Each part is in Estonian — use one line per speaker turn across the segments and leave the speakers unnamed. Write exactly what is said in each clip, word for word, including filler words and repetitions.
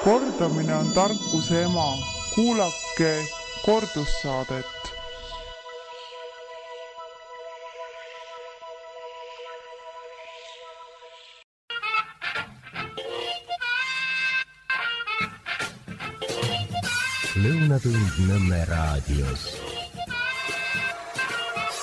Kordamine on tarkuse ema. Kuulake kordussaadet.
Lõunatund Nõmme raadios.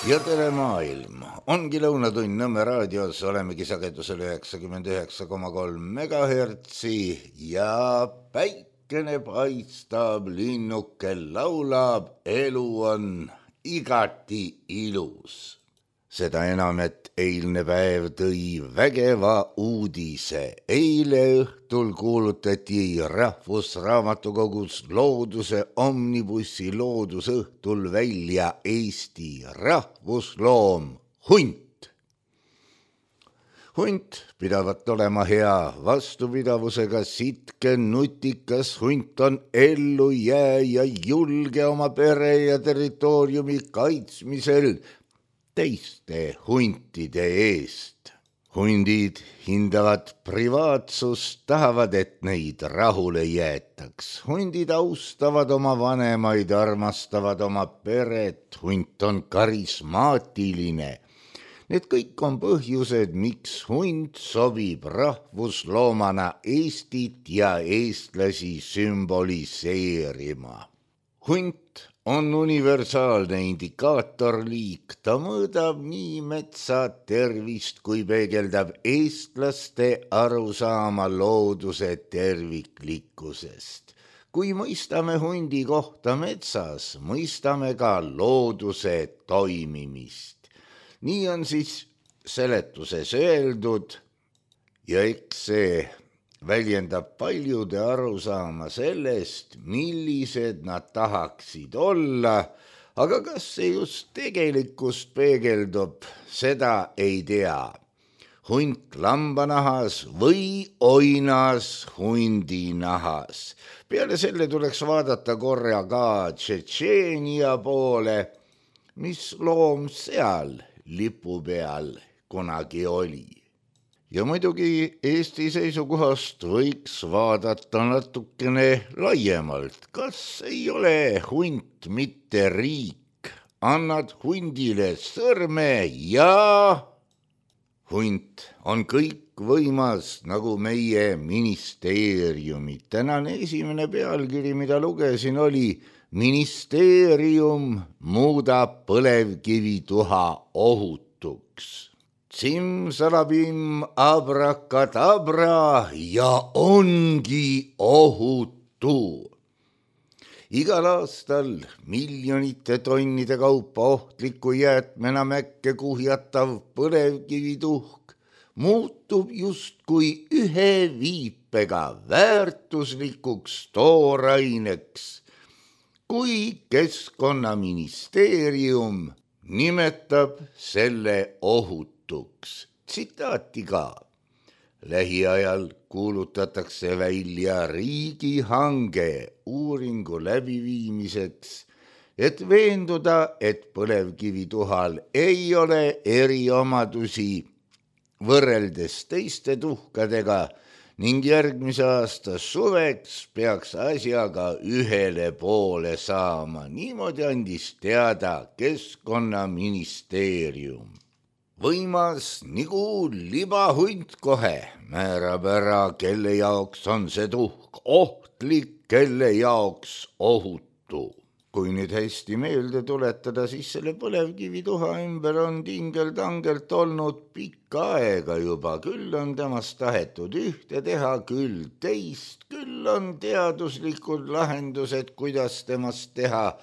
Ja tere maailm! Ongi Lõunatund Nõmme raadios, olemegi sagedusel üheksakümmend üheksa koma kolm megahertsi ja päikene paistab, linnuke laulab, elu on igati ilus. Seda enam, et eilne päev tõi vägeva uudise. Eile õhtul kuulutati Rahvusraamatukogus looduse omnibussi loodusõhtul välja Eesti rahvusloom hunt. Hunt pidavat olema hea vastupidavusega sitke nutikas, hunt on ellu jää ja julge oma pere ja territooriumi kaitsmisel teiste huntide eest. Hundid hindavad privaatsust, tahavad, et neid rahule jäetaks. Hundid austavad oma vanemaid, armastavad oma peret, hunt on karismaatiline. Need kõik on põhjused, miks hunt sobib rahvusloomana Eestit ja eestlasi sümboliseerima. Hunt on universaalne indikaatorliik, ta mõõdab nii metsa tervist kui peegeldab eestlaste arusaama looduse terviklikkusest. Kui mõistame hundi kohta metsas, mõistame ka looduse toimimist. Nii on siis seletuses öeldud ja eks see väljendab paljude arusaama sellest, millised nad tahaksid olla, aga kas see just tegelikkust peegeldub, seda ei tea. Hunt lambanahas või oinas hundinahas. Peale selle tuleks vaadata korra ka Tšetšeenia poole, mis loom seal lipu peal kunagi oli. Ja muidugi Eesti seisukohast võiks vaadata natukene laiemalt. Kas ei ole hunt mitte riik? Annad hundile sõrme ja hunt on kõik võimas nagu meie ministeeriumid. Tänane esimene pealkiri, mida lugesin, oli Ministeerium muudab põlevkivituha ohutuks. Simsalabim abrakadabra ja ongi ohutu. Igal aastal miljonite tonnide kaupa ohtliku jäätmena mäkke kuhjatav põlevkivituhk muutub justkui ühe viipega väärtuslikuks tooraineks, kui Keskkonnaministeerium nimetab selle ohutuks. Tsitaati ka. Lähiajal kuulutatakse välja riigihange uuringu läbiviimiseks, et veenduda, et põlevkivituhal ei ole eriomadusi võrreldes teiste tuhkadega ning järgmise aasta suveks peaks asjaga ühele poole saama. Niimoodi andis teada Keskkonnaministeerium. Võimas nagu libahunt kohe määrab ära, kelle jaoks on see tuhk ohtlik, kelle jaoks ohutu. Kui nüüd hästi meelde tuletada, siis selle põlevkivituha ümber on tingeltangelt olnud pikka aega juba. Küll on temast tahetud ühte teha, küll teist, küll on teaduslikud lahendused, kuidas temast teha.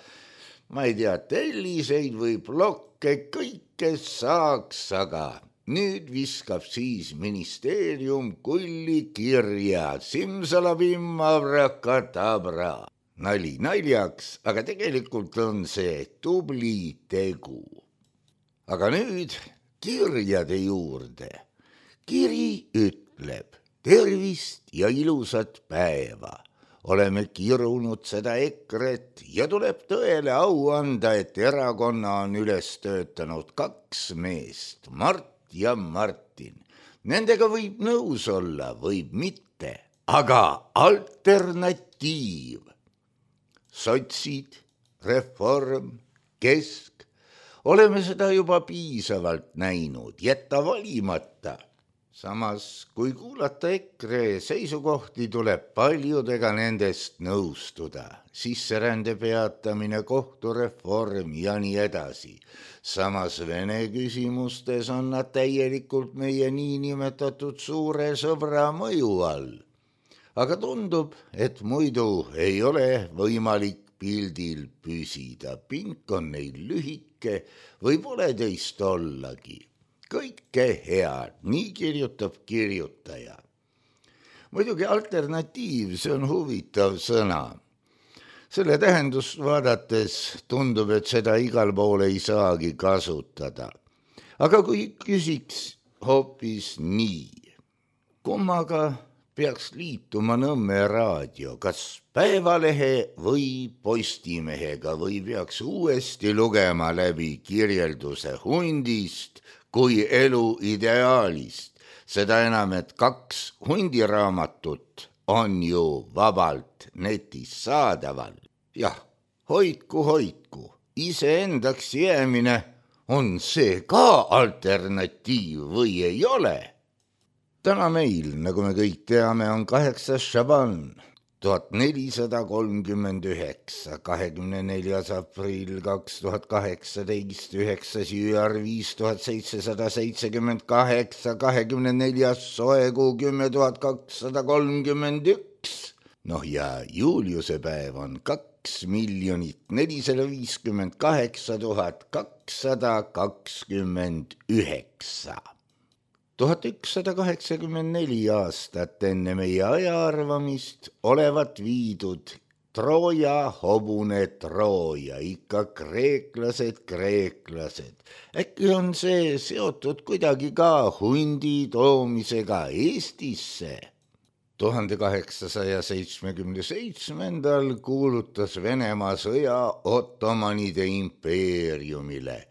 Ma ei tea, telliseid või blokke, kõike saaks, aga nüüd viskab siis ministeerium kulli kirja. Simsalabim abrakadabra. Nali naljaks, aga tegelikult on see tubli tegu. Aga nüüd kirjade juurde. Kiri ütleb tervist ja ilusat päeva. Oleme kirunud seda EKRE-t ja tuleb tõele au anda, et erakonna on üles töötanud kaks meest, Mart ja Martin. Nendega võib nõus olla, võib mitte, aga alternatiiv. Sotsid, Reform, Kesk, oleme seda juba piisavalt näinud, jätta valimata. Samas, kui kuulata EKRE seisukohti, tuleb paljudega nendest nõustuda. Sisserände peatamine, kohtureform ja nii edasi. Samas Vene küsimustes on nad täielikult meie niinimetatud suure sõbra mõju all. Aga tundub, et muidu ei ole võimalik pildil püsida. Pink on neil lühike või pole teist ollagi. Kõike head, nii kirjutab kirjutaja. Muidugi alternatiiv, see on huvitav sõna. Selle tähendust vaadates tundub, et seda igal pool ei saagi kasutada. Aga kui küsiks hoopis nii, kummaga peaks liituma Nõmme raadio, kas Päevalehe või Postimehega või peaks uuesti lugema läbi kirjelduse hundist kui elu ideaalist, seda enam, et kaks hundiraamatut on ju vabalt netis saadaval. Jah, hoidku, hoidku, iseendaks jäämine, on see ka alternatiiv või ei ole? Täna meil, nagu me kõik teame, on kaheksas Šaban, tuhat nelisada kolmkümmend üheksa, kahekümne neljas aprill kaks tuhat kaheksateist, üheksas jüar viis tuhat seitsesada seitsekümmend kaheksa, kahekümne neljas soekuu kümme tuhat kakssada kolmkümmend üks. Noh ja Juliuse päev on kaks miljonit nelisada viiskümmend kaheksa tuhat kakssada kakskümmend üheksa. tuhat ükssada kaheksakümmend neli aastat enne meie ajaarvamist olevat viidud Trooja hobune Trooja, ikka kreeklased, kreeklased. Äkki on see seotud kuidagi ka hundi toomisega Eestisse? tuhande kaheksasaja seitsmekümne seitsmendal kuulutas Venemaa sõja Ottomanide impeeriumile.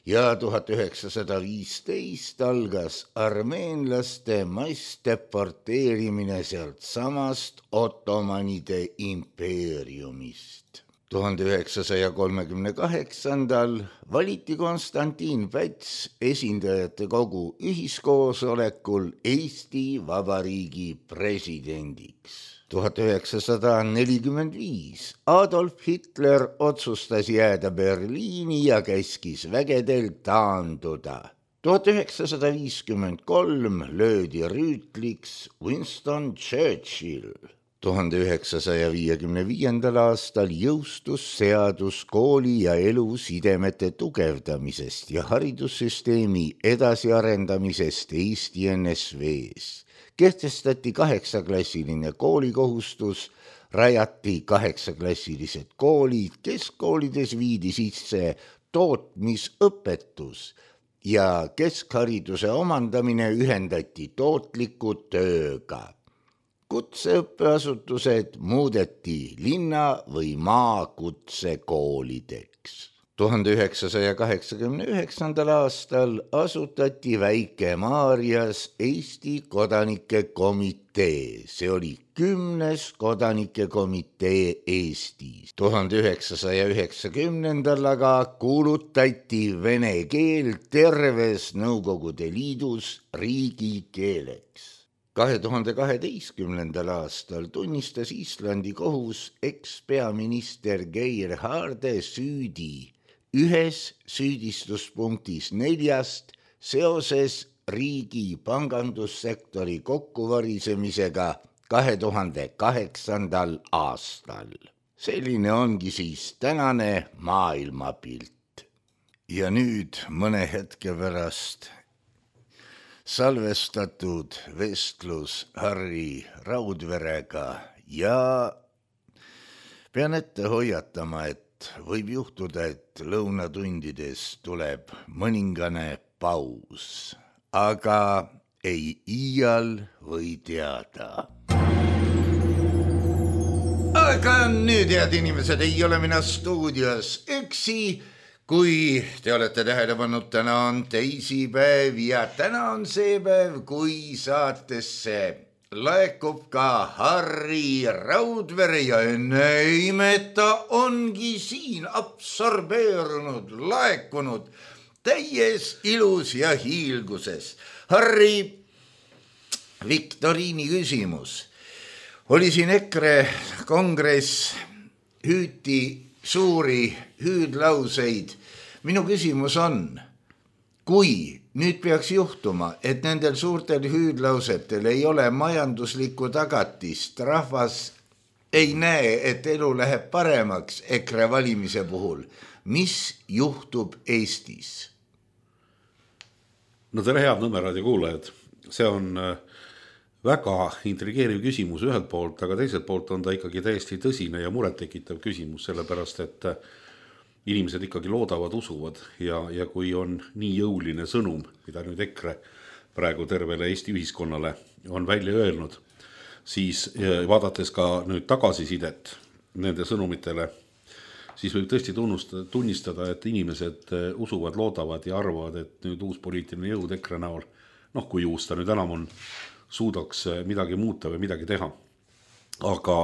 Ja tuhat üheksasada viisteist algas armeenlaste massdeporteerimine sealt samast Ottomanide impeeriumist. tuhande üheksasaja kolmekümne kaheksandal valiti Konstantin Päts esindajate kogu ühiskoosolekul Eesti Vabariigi presidendiks. tuhat üheksasada nelikümmend viis Adolf Hitler otsustas jääda Berliini ja käskis vägedel taanduda. tuhat üheksasada viiskümmend kolm löödi rüütliks Winston Churchill. tuhande üheksasaja viiekümne viiendal aastal jõustus seadus kooli ja elusidemete tugevdamisest ja haridussüsteemi edasiarendamisest Eesti N S V-s. Kehtestati kaheksaklassiline koolikohustus, rajati kaheksaklassilised koolid, keskkoolides viidi sisse tootmisõpetus ja keskhariduse omandamine ühendati tootliku tööga. Kutseõppeasutused muudeti linna- või maakutsekoolideks. tuhande üheksasaja kaheksakümne üheksandal aastal asutati Väike-Maarjas Eesti kodanike komitee. See oli kümnes kodanike komitee Eestis. tuhande üheksasaja üheksakümnendal aga kuulutati vene keel terves Nõukogude Liidus riigikeeleks. kahe tuhande kaheteistkümnendal aastal tunnistas Islandi kohus ekspeaminister Geir Haarde süüdi ühes süüdistuspunktis neljast seoses riigi pangandussektori kokkuvarisemisega kahe tuhande kaheksandal aastal. Selline ongi siis tänane maailmapilt. Ja nüüd mõne hetke pärast salvestatud vestlus Harri Raudverega ja pean ette hoiatama, et võib juhtuda, et lõunatundides tuleb mõningane paus, aga ei iial või teada. Aga nüüd, head inimesed, ei ole mina stuudios üksi. Kui te olete tähele pannud, täna on teisipäev ja täna on see päev, kui saatesse laekub ka Harri Raudvere ja enne imeta ongi siin absorbeerunud, laekunud täies ilus ja hiilguses. Harri, viktoriini küsimus. Oli siin EKRE kongress, hüüti suuri hüüdlauseid. Minu küsimus on, kui nüüd peaks juhtuma, et nendel suurtel hüüdlausetel ei ole majanduslikku tagatist, rahvas ei näe, et elu läheb paremaks EKRE valimise puhul, mis juhtub Eestis?
No tere, head Nõmmeraadio kuulajad. See on väga intrigeeriv küsimus ühelt poolt, aga teiselt poolt on ta ikkagi täiesti tõsine ja murettekitav küsimus, sellepärast et inimesed ikkagi loodavad, usuvad ja, ja kui on nii jõuline sõnum, mida nüüd EKRE praegu tervele Eesti ühiskonnale on välja öelnud, siis vaadates ka nüüd tagasisidet nende sõnumitele, siis võib tõesti tunnustada, tunnistada, et inimesed usuvad, loodavad ja arvavad, et nüüd uus poliitiline jõud EKRE näol, noh kui uus ta nüüd enam on, suudaks midagi muuta või midagi teha. Aga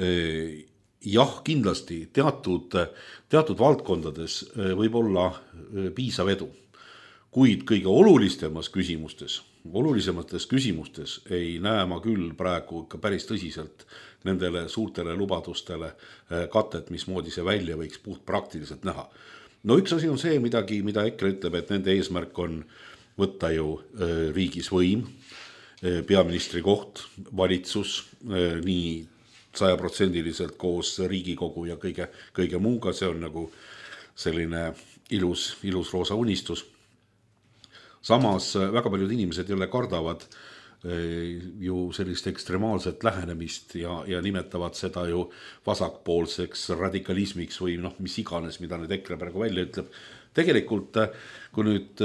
eh, jah, kindlasti teatud, teatud valdkondades võib olla piisav edu, kuid kõige olulisemas küsimustes, olulisemates küsimustes ei näe ma küll praegu ka päris tõsiselt nendele suurtele lubadustele katet, mismoodi see välja võiks puht praktiliselt näha. No üks asi on see midagi, mida EKRE ütleb, et nende eesmärk on võtta ju riigis võim, peaministri koht, valitsus, nii sajaprotsendiliselt koos Riigikogu ja kõige, kõige muuga, see on nagu selline ilus, ilus roosa unistus. Samas väga paljud inimesed jälle kardavad ju sellist ekstremaalset lähenemist ja, ja nimetavad seda ju vasakpoolseks radikalismiks või noh, mis iganes, mida nüüd EKRE praegu välja ütleb. Tegelikult, kui nüüd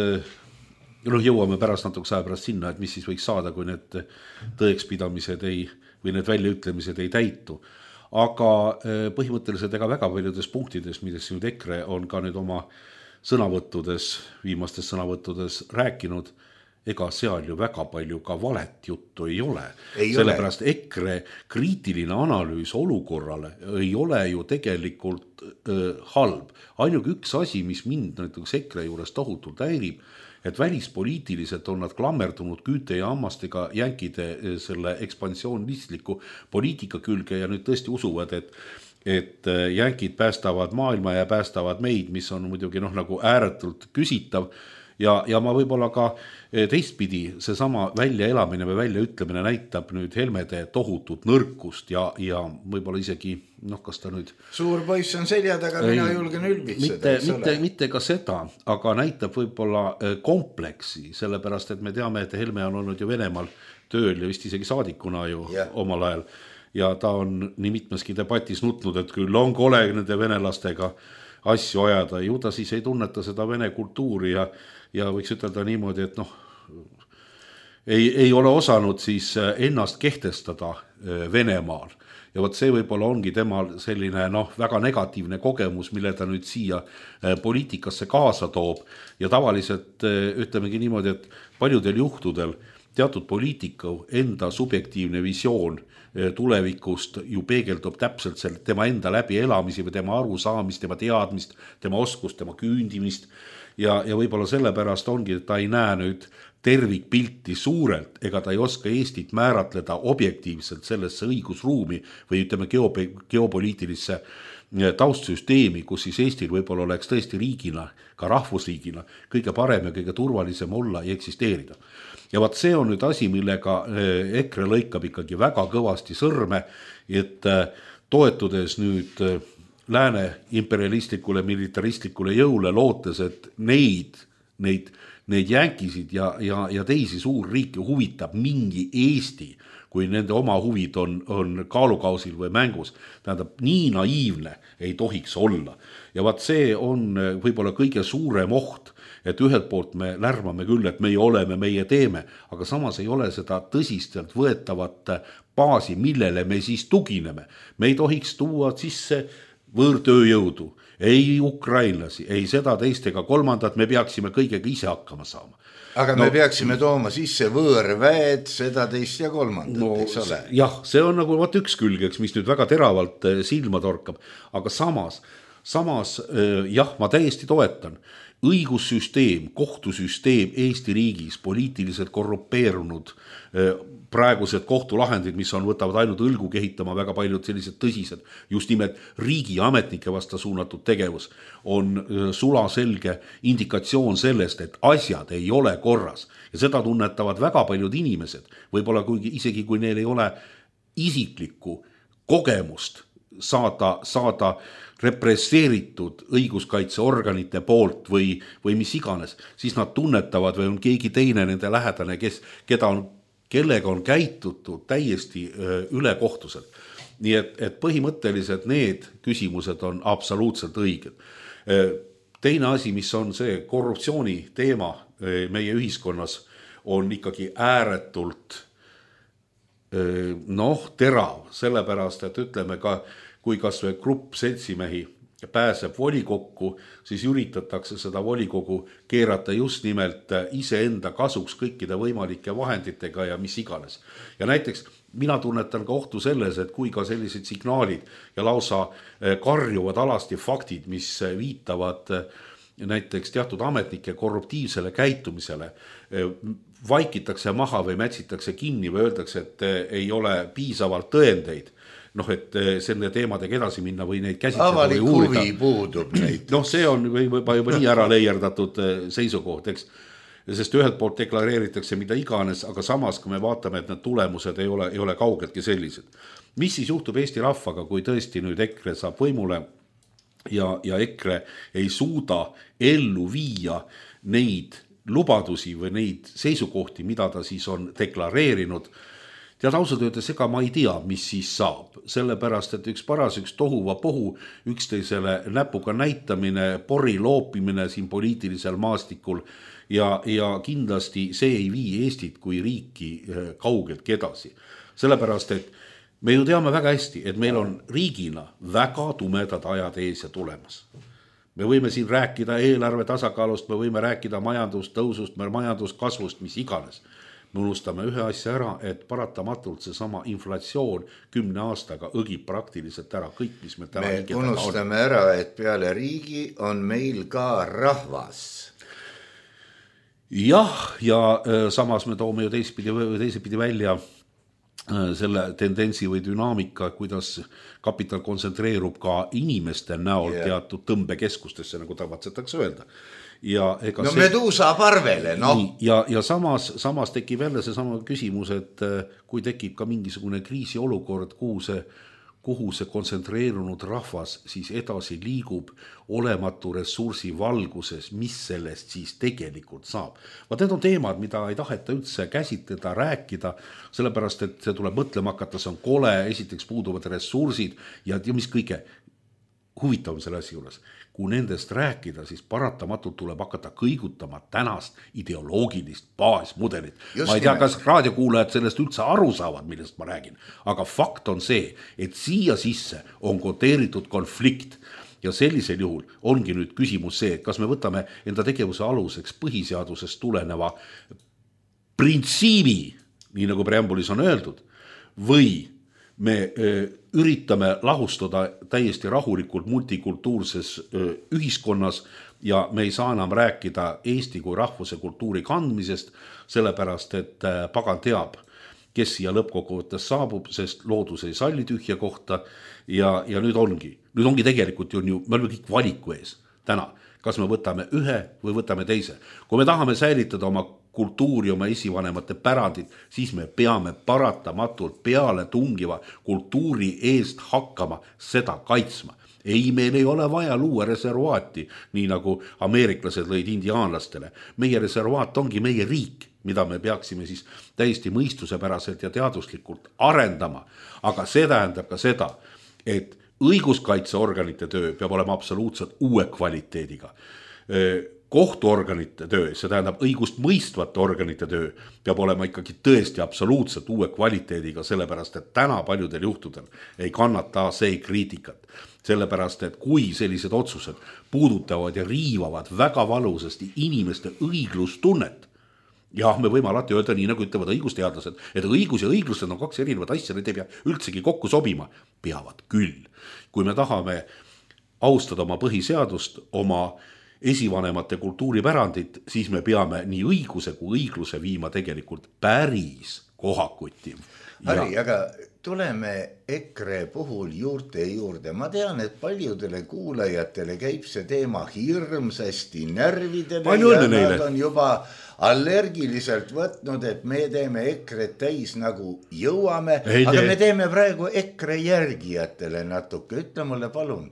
noh, jõuame pärast natuke aja pärast sinna, et mis siis võiks saada, kui need tõekspidamised ei või need väljaütlemised ei täitu. Aga põhimõtteliselt ega väga paljudes punktides, milles nüüd EKRE on ka nüüd oma sõnavõttudes, viimastes sõnavõttudes rääkinud, ega seal ju väga palju ka valet juttu ei ole. Ei Sellepärast ole. EKRE kriitiline analüüs olukorrale ei ole ju tegelikult äh, halb. Ainult üks asi, mis mind näiteks EKRE juures tohutult häirib, et välispoliitiliselt on nad klammerdunud küüte ja hammastega jänkide selle ekspansioonistliku poliitika külge ja nüüd tõesti usuvad, et, et jänkid päästavad maailma ja päästavad meid, mis on muidugi noh, nagu ääretult küsitav. Ja, ja ma võib-olla ka teistpidi seesama väljaelamine või väljaütlemine näitab nüüd Helmede tohutut nõrkust ja, ja võib-olla isegi, noh, kas ta nüüd... Suur poiss on seljad, aga ei, mina julgen ülbitseda. Mitte, mitte, mitte ka seda, aga näitab võib-olla kompleksi, sellepärast, et me teame, et Helme on olnud ju Venemaal tööl ja vist isegi saadikuna ju yeah. omal ajal. Ja ta on nii mitmeski debatis nutnud, et küll on kole nende venelastega asju ajada. Ju ta siis ei tunneta seda vene kultuuri ja ja võiks ütelda niimoodi, et noh, ei, ei ole osanud siis ennast kehtestada Venemaal. Ja võt see võib-olla ongi temal selline noh, väga negatiivne kogemus, mille ta nüüd siia poliitikasse kaasa toob. Ja tavaliselt ütlemegi niimoodi, et paljudel juhtudel teatud poliitiku enda subjektiivne visioon tulevikust ju peegeldub täpselt selle, tema enda läbi elamisi või tema arusaamist, tema teadmist, tema oskust, tema küündimist. Ja, ja võib-olla sellepärast ongi, et ta ei näe nüüd tervikpilti suurelt, ega ta ei oska Eestit määratleda objektiivselt sellesse õigusruumi või ütleme geopoliitilisse taustsüsteemi, kus siis Eestil võib-olla oleks tõesti riigina, ka rahvusriigina, kõige parem ja kõige turvalisem olla ja eksisteerida. Ja vaat see on nüüd asi, millega EKRE lõikab ikkagi väga kõvasti sõrme, et toetudes nüüd lääne imperialistlikule, militaristlikule jõule lootes, et neid, neid, neid jänkisid ja, ja, ja teisi suurriike huvitab mingi Eesti, kui nende oma huvid on, on kaalukausil või mängus. Tähendab, nii naiivne ei tohiks olla. Ja vaat see on võib-olla kõige suurem oht, et ühelt poolt me lärmame küll, et meie oleme, meie teeme, aga samas ei ole seda tõsistelt võetavat baasi, millele me siis tugineme. Me ei tohiks tuua sisse võõrtööjõudu, ei ukrainlasi, ei seda teist ega kolmandat, me peaksime kõigega ise hakkama saama.
Aga no, me peaksime tooma sisse võõrväed, seda teist ja kolmandat, no, eks ole?
Jah, see on nagu vaat üks külgeks, mis nüüd väga teravalt silma torkab, aga samas, samas jah, ma täiesti toetan. Õigussüsteem, kohtusüsteem Eesti riigis, poliitiliselt korrupeerunud praegused kohtulahendid, mis on, võtavad ainult õlgu kehitama väga paljud sellised tõsised, just nimelt riigi ametnike vasta suunatud tegevus, on sulaselge indikatsioon sellest, et asjad ei ole korras. Ja seda tunnetavad väga paljud inimesed, võib-olla kuigi, isegi kui neil ei ole isiklikku kogemust saada, saada represseeritud õiguskaitseorganite poolt või, või mis iganes, siis nad tunnetavad või on keegi teine nende lähedane, kes, keda on, kellega on käitutud täiesti ülekohtuselt. Nii et, et põhimõtteliselt need küsimused on absoluutselt õiged. Teine asi, mis on see korruptsiooni teema meie ühiskonnas, on ikkagi ääretult noh, terav, sellepärast, et ütleme ka, kui kas või grupp seltsimehi pääseb volikokku, siis üritatakse seda volikogu keerata just nimelt iseenda kasuks kõikide võimalike vahenditega ja mis iganes. Ja näiteks mina tunnetan ka ohtu selles, et kui ka sellised signaalid ja lausa karjuvad alasti faktid, mis viitavad näiteks teatud ametnike korruptiivsele käitumisele, vaikitakse maha või mätsitakse kinni või öeldakse, et ei ole piisavalt tõendeid, noh, et selle teemadega edasi minna või neid käsitleda
avalik
või uurida.
Huvi puudub neid.
Noh, see on juba, juba nii ära leierdatud seisukoht, eks. Sest ühelt poolt deklareeritakse mida iganes, aga samas, kui me vaatame, et need tulemused ei ole, ei ole kaugeltki sellised. Mis siis juhtub Eesti rahvaga, kui tõesti nüüd EKRE saab võimule ja, ja EKRE ei suuda ellu viia neid lubadusi või neid seisukohti, mida ta siis on deklareerinud. Tead, ausalt öeldes, ega ma ei tea, mis siis saab, sellepärast, et üks paras, üks tohuva pohu, üksteisele näpuga näitamine, pori loopimine siin poliitilisel maastikul ja, ja kindlasti see ei vii Eestit kui riiki kaugeltki edasi. Sellepärast, et me ju teame väga hästi, et meil on riigina väga tumedad ajad ees ja tulemas. Me võime siin rääkida eelarve tasakaalust, me võime rääkida majandustõusust, majanduskasvust, mis iganes. Me unustame ühe asja ära, et paratamatult see sama inflatsioon kümne aastaga õgib praktiliselt ära kõik, mis me täna
me unustame on. Ära, et peale riigi on meil ka rahvas.
Jah, ja samas me toome ju teisepidi, teisepidi välja selle tendentsi või dünaamika, kuidas kapital kontsentreerub ka inimeste näol yeah. teatud tõmbekeskustesse, nagu tavatsetakse öelda. Ja ega
no
see,
meduusa parvele, noh.
Ja, ja samas, samas tekib jälle see sama küsimus, et kui tekib ka mingisugune kriisiolukord, kuhu see, kuhu see kontsentreerunud rahvas siis edasi liigub olematu ressursi valguses, mis sellest siis tegelikult saab. Vaat need on teemad, mida ei taheta üldse käsitleda, rääkida, sellepärast, et see tuleb mõtlema hakata, see on kole, esiteks puuduvad ressursid ja, ja mis kõige huvitavam selle asja juures. Kui nendest rääkida, siis paratamatult tuleb hakata kõigutama tänast ideoloogilist baasmudelit. Just ma ei tea, kas raadiokuulajad sellest üldse aru saavad, millest ma räägin, aga fakt on see, et siia sisse on koteeritud konflikt ja sellisel juhul ongi nüüd küsimus see, et kas me võtame enda tegevuse aluseks põhiseadusest tuleneva printsiibi, nii nagu preambulis on öeldud, või me üritame lahustada täiesti rahulikult multikultuurses ühiskonnas ja me ei saa enam rääkida Eesti kui rahvuse kultuuri kandmisest, sellepärast et pagan teab, kes siia lõppkokkuvõttes saabub, sest loodus ei salli tühja kohta ja, ja nüüd ongi. Nüüd ongi tegelikult ju, me oleme kõik valiku ees täna, kas me võtame ühe või võtame teise. Kui me tahame säilitada oma kultuuri, oma esivanemate pärandid, siis me peame paratamatult peale tungiva kultuuri eest hakkama seda kaitsma. Ei, meil ei ole vaja luua reservaati, nii nagu ameeriklased lõid indiaanlastele. Meie reservaat ongi meie riik, mida me peaksime siis täiesti mõistusepäraselt ja teaduslikult arendama. Aga see tähendab ka seda, et õiguskaitseorganite töö peab olema absoluutselt uue kvaliteediga. kohtuorganite töö, see tähendab õigust mõistvate organite töö, peab olema ikkagi tõesti absoluutselt uue kvaliteediga, sellepärast et täna paljudel juhtudel ei kannata see kriitikat. Sellepärast, et kui sellised otsused puudutavad ja riivavad väga valusasti inimeste õiglustunnet, jah, me võime alati öelda nii, nagu ütlevad õigusteadlased, et õigus ja õiglused on kaks erinevat asja, need ei pea üldsegi kokku sobima, peavad küll. Kui me tahame austada oma põhiseadust, oma esivanemate kultuuripärandit, siis me peame nii õiguse kui õigluse viima tegelikult päris kohakuti.
Harri, ja... aga tuleme EKRE puhul juurte juurde. Ma tean, et paljudele kuulajatele käib see teema hirmsasti närvidele.
Palju õnne
ja
neile.
Nad on juba allergiliselt võtnud, et me teeme EKRE täis nagu jõuame, ei aga tee. Me teeme praegu EKRE järgijatele natuke. Ütle mulle palun,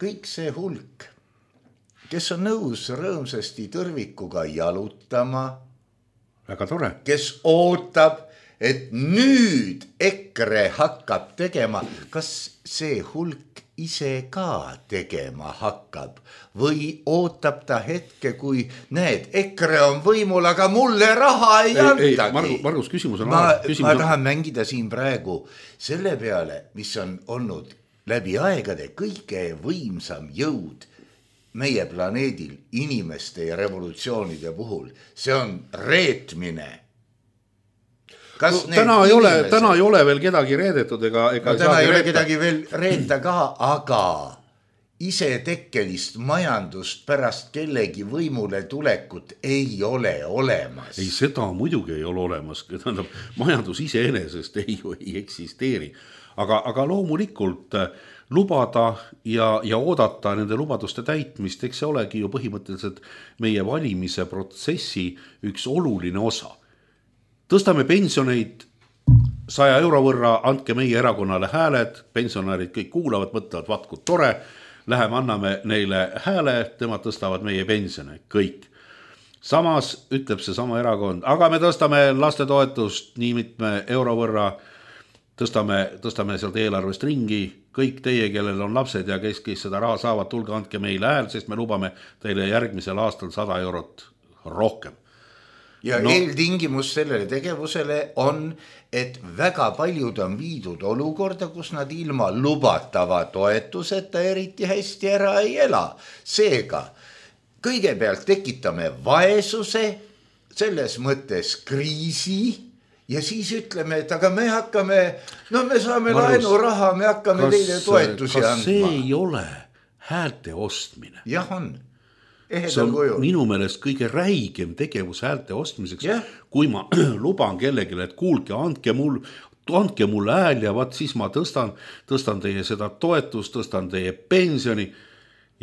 kõik see hulk, kes on nõus rõõmsasti tõrvikuga jalutama,
väga tore,
kes ootab, et nüüd EKRE hakkab tegema, kas see hulk ise ka tegema hakkab või ootab ta hetke, kui näed, EKRE on võimul, aga mulle raha ei, ei antagi.
Margus, Margus, küsimus on...
Ma,
küsimus
ma
on...
tahan mängida siin praegu selle peale, mis on olnud läbi aegade kõige võimsam jõud meie planeedil inimeste ja revolutsioonide puhul. See on reetmine.
Kas no, täna, ei ole, täna ei ole veel kedagi reedetud ega, ega
no, täna ei ole reeta. Kedagi veel reeta ka, aga isetekkelist majandust pärast kellegi võimule tulekut ei ole olemas.
Ei, seda muidugi ei ole olemas. Tähendab, majandus iseenesest ei, ei eksisteeri. Aga, aga loomulikult lubada ja, ja oodata nende lubaduste täitmist, eks see olegi ju põhimõtteliselt meie valimise protsessi üks oluline osa. Tõstame pensioneid saja euro võrra, andke meie erakonnale hääled, pensionärid kõik kuulavad, mõtlevad, vatkud tore, läheme anname neile hääle, temad tõstavad meie pensione, kõik. Samas ütleb see sama erakond, aga me tõstame lastetoetust nii mitme euro võrra, Tõstame, tõstame sealt eelarvest ringi, kõik teie, kellel on lapsed ja kes, kes seda raha saavad, tulge andke meile hääl, sest me lubame teile järgmisel aastal sada eurot rohkem.
Ja no. Eeltingimus sellele tegevusele on, et väga paljud on viidud olukorda, kus nad ilma lubatava toetuseta eriti hästi ära ei ela. Seega, kõigepealt tekitame vaesuse, selles mõttes kriisi, ja siis ütleme, et aga me hakkame, no me saame Marus, laenu raha, me hakkame kas, teile toetusi
kas
andma.
Kas see ei ole häälte ostmine?
Jah on.
See on kujul. Minu meelest kõige räigem tegevus häälte ostmiseks, yeah. Kui ma luban kellelegi, et kuulge, andke mul, andke mul hääl ja vaat siis ma tõstan, tõstan teie seda toetust, tõstan teie pensioni.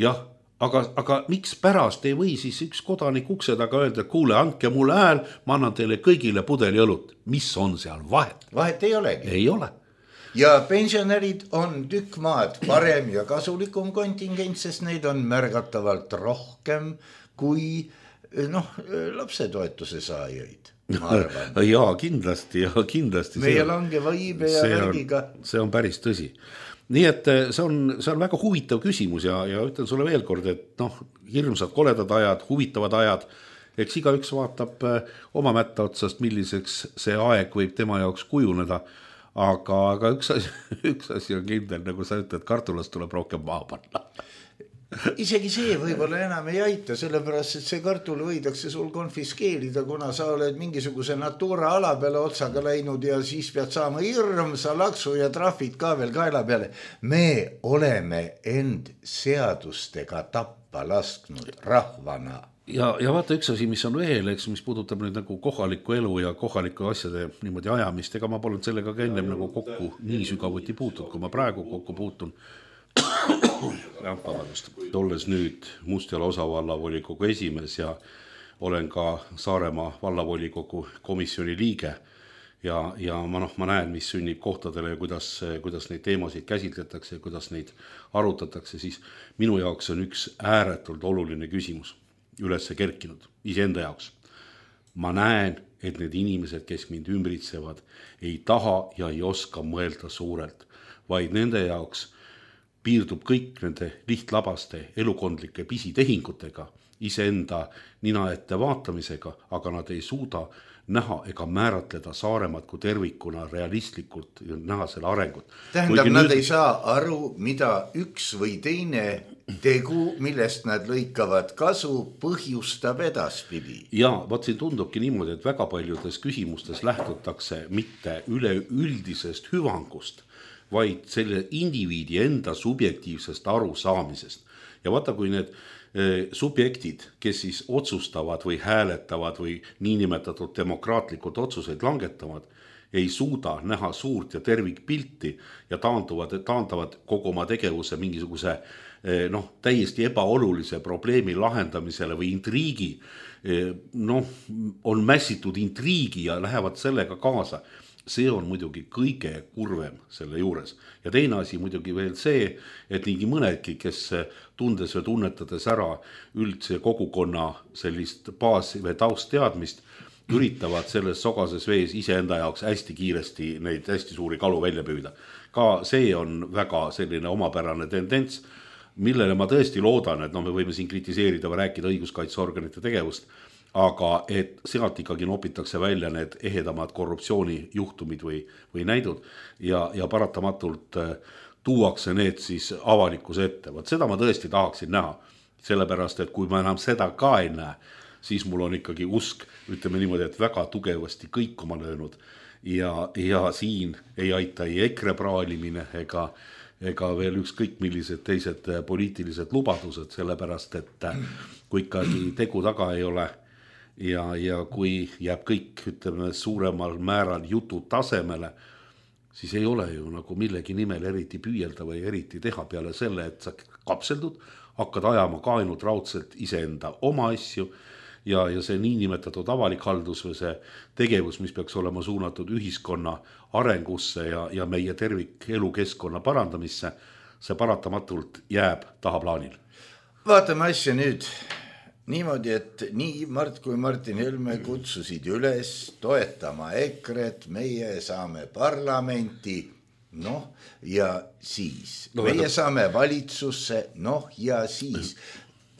Jah, aga, aga miks pärast ei või siis üks kodanik ukse taga öelda, et kuule, andke mulle hääl, ma annan teile kõigile pudeli õlut. Mis on seal vahet?
Vahet ei olegi.
Ei ole.
Ja pensionärid on tükk maad parem ja kasulikum kontingent, sest neid on märgatavalt rohkem kui noh, lapsetoetuse saajaid.
Jaa, kindlasti, ja kindlasti.
Meie langeva iibe ja värgiga.
See on päris tõsi. Nii et see on, see on väga huvitav küsimus ja, ja ütlen sulle veel kord, et noh, hirmsad koledad ajad, huvitavad ajad, eks iga üks vaatab oma mätta otsast, milliseks see aeg võib tema jaoks kujuneda, aga, aga üks, asi, üks asi on kindel, nagu sa ütled, kartulast tuleb rohkem maha panna.
Isegi see võib-olla enam ei aita, sellepärast, et see kartul võidakse sul konfiskeerida, kuna sa oled mingisuguse Natura ala peale otsaga läinud ja siis pead saama hirmsa laksu ja trahvid ka veel kaela peale. Me oleme end seadustega tappa lasknud rahvana.
Ja, ja vaata üks asi, mis on veel, eks, mis puudutab nüüd nagu kohalikku elu ja kohalikku asjade niimoodi ajamist, ega ma polnud sellega ka ennem nagu kokku nii sügavuti puutud, kui ma praegu kokku puutun. Olles nüüd Mustjala osavallavvolikogu esimees ja olen ka Saaremaa vallavolikogu komisjoni liige ja, ja ma, noh, ma näen, mis sünnib kohtadele ja kuidas, kuidas neid teemasid käsitletakse ja kuidas neid arutatakse, siis minu jaoks on üks ääretult oluline küsimus ülesse kerkinud iseenda jaoks. Ma näen, et need inimesed, kes mind ümbritsevad, ei taha ja ei oska mõelda suurelt, vaid nende jaoks piirdub kõik nende lihtlabaste elukondlike pisitehingutega iseenda nina ette vaatamisega, aga nad ei suuda näha ega määratleda Saaremaad kui tervikuna realistlikult näha selle arengut.
Tähendab, Kuigi nad nüüd... ei saa aru, mida üks või teine tegu, millest nad lõikavad kasu, põhjustab edaspidi.
Ja vaat siin tundubki niimoodi, et väga paljudes küsimustes lähtutakse mitte üleüldisest hüvangust, vaid selle indiviidi enda subjektiivsest arusaamisest. Ja vaata, kui need subjektid, kes siis otsustavad või hääletavad või niinimetatud demokraatlikud otsuseid langetavad, ei suuda näha suurt ja tervikpilti ja taanduvad, taandavad kogu oma tegevuse mingisuguse noh, täiesti ebaolulise probleemi lahendamisele või intriigi, noh, on mässitud intriigi ja lähevad sellega kaasa. See on muidugi kõige kurvem selle juures. Ja teine asi muidugi veel see, et nii mõnedki, kes tundes või tunnetades ära üldse kogukonna sellist baas- või taustteadmist, üritavad selles sogases vees iseenda jaoks hästi kiiresti neid hästi suuri kalu välja püüda. Ka see on väga selline omapärane tendents, millele ma tõesti loodan, et no, me võime siin kritiseerida või rääkida õiguskaitseorganite tegevust, aga et sealt ikkagi nopitakse välja need ehedamad korruptsioonijuhtumid või, või näidud ja, ja paratamatult tuuakse need siis avalikkuse ette. Vaat seda ma tõesti tahaksin näha, sellepärast, et kui ma enam seda ka ei näe, siis mul on ikkagi usk, ütleme niimoodi, et väga tugevasti kõikuma löönud ja, ja siin ei aita ei EKRE praalimine ega, ega veel ükskõik millised teised poliitilised lubadused, sellepärast, et kui ikkagi tegu taga ei ole ja, ja kui jääb kõik, ütleme, suuremal määral jutu tasemele, siis ei ole ju nagu millegi nimel eriti püüelda või eriti teha peale selle, et sa kapseldud, hakkad ajama ka ainult raudselt iseenda oma asju ja, ja see niinimetatud avalik haldus või see tegevus, mis peaks olema suunatud ühiskonna arengusse ja, ja meie tervik elukeskkonna parandamisse, see paratamatult jääb tahaplaanil.
Vaatame asja nüüd niimoodi, et nii Mart kui Martin Helme kutsusid üles toetama EKRE-t, meie saame parlamenti, noh ja siis. No, meie no. saame valitsusse, noh ja siis.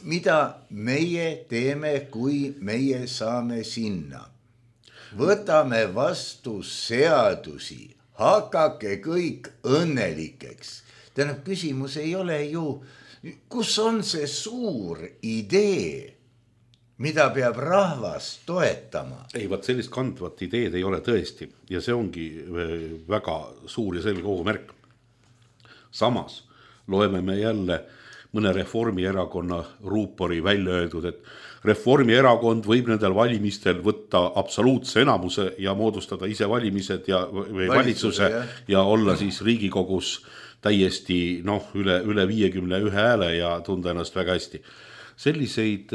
Mida meie teeme, kui meie saame sinna? Võtame vastu seadusi, hakake kõik õnnelikeks. Tähendab, küsimus ei ole ju, kus on see suur idee, mida peab rahvas toetama?
Ei, vaat sellist kandvat ideed ei ole tõesti ja see ongi väga suur ja selge ohumärk. Samas loeme me jälle mõne Reformierakonna ruupori välja öeldud, et Reformierakond võib nendel valimistel võtta absoluutse enamuse ja moodustada ise valimised ja või valitsuse ja. ja olla siis Riigikogus täiesti noh, üle, üle viiekümne ühe hääle ja tunda ennast väga hästi. Selliseid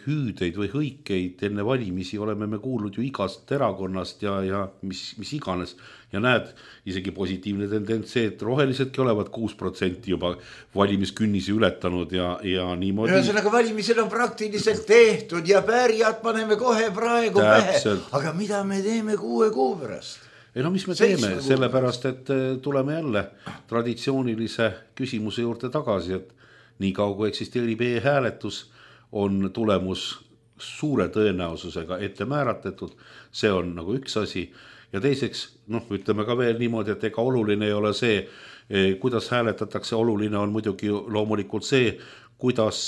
hüüdeid või hõikeid enne valimisi oleme me kuulnud ju igast erakonnast ja, ja mis, mis iganes. Ja näed, isegi positiivne tendents see, et rohelisedki olevat kuus protsenti juba valimiskünnisi ületanud ja, ja niimoodi.
Ühesõnaga valimised on praktiliselt tehtud ja pärijad paneme kohe praegu
Täpselt.
pähe. Aga mida me teeme kuue kuu pärast?
Ei no mis me teeme, sellepärast, et tuleme jälle traditsioonilise küsimuse juurde tagasi, et nii kaua kui eksisteerib e-hääletus, on tulemus suure tõenäosusega ette määratletud, see on nagu üks asi ja teiseks, noh, ütleme ka veel niimoodi, et ega oluline ei ole see, kuidas hääletatakse, oluline on muidugi loomulikult see, kuidas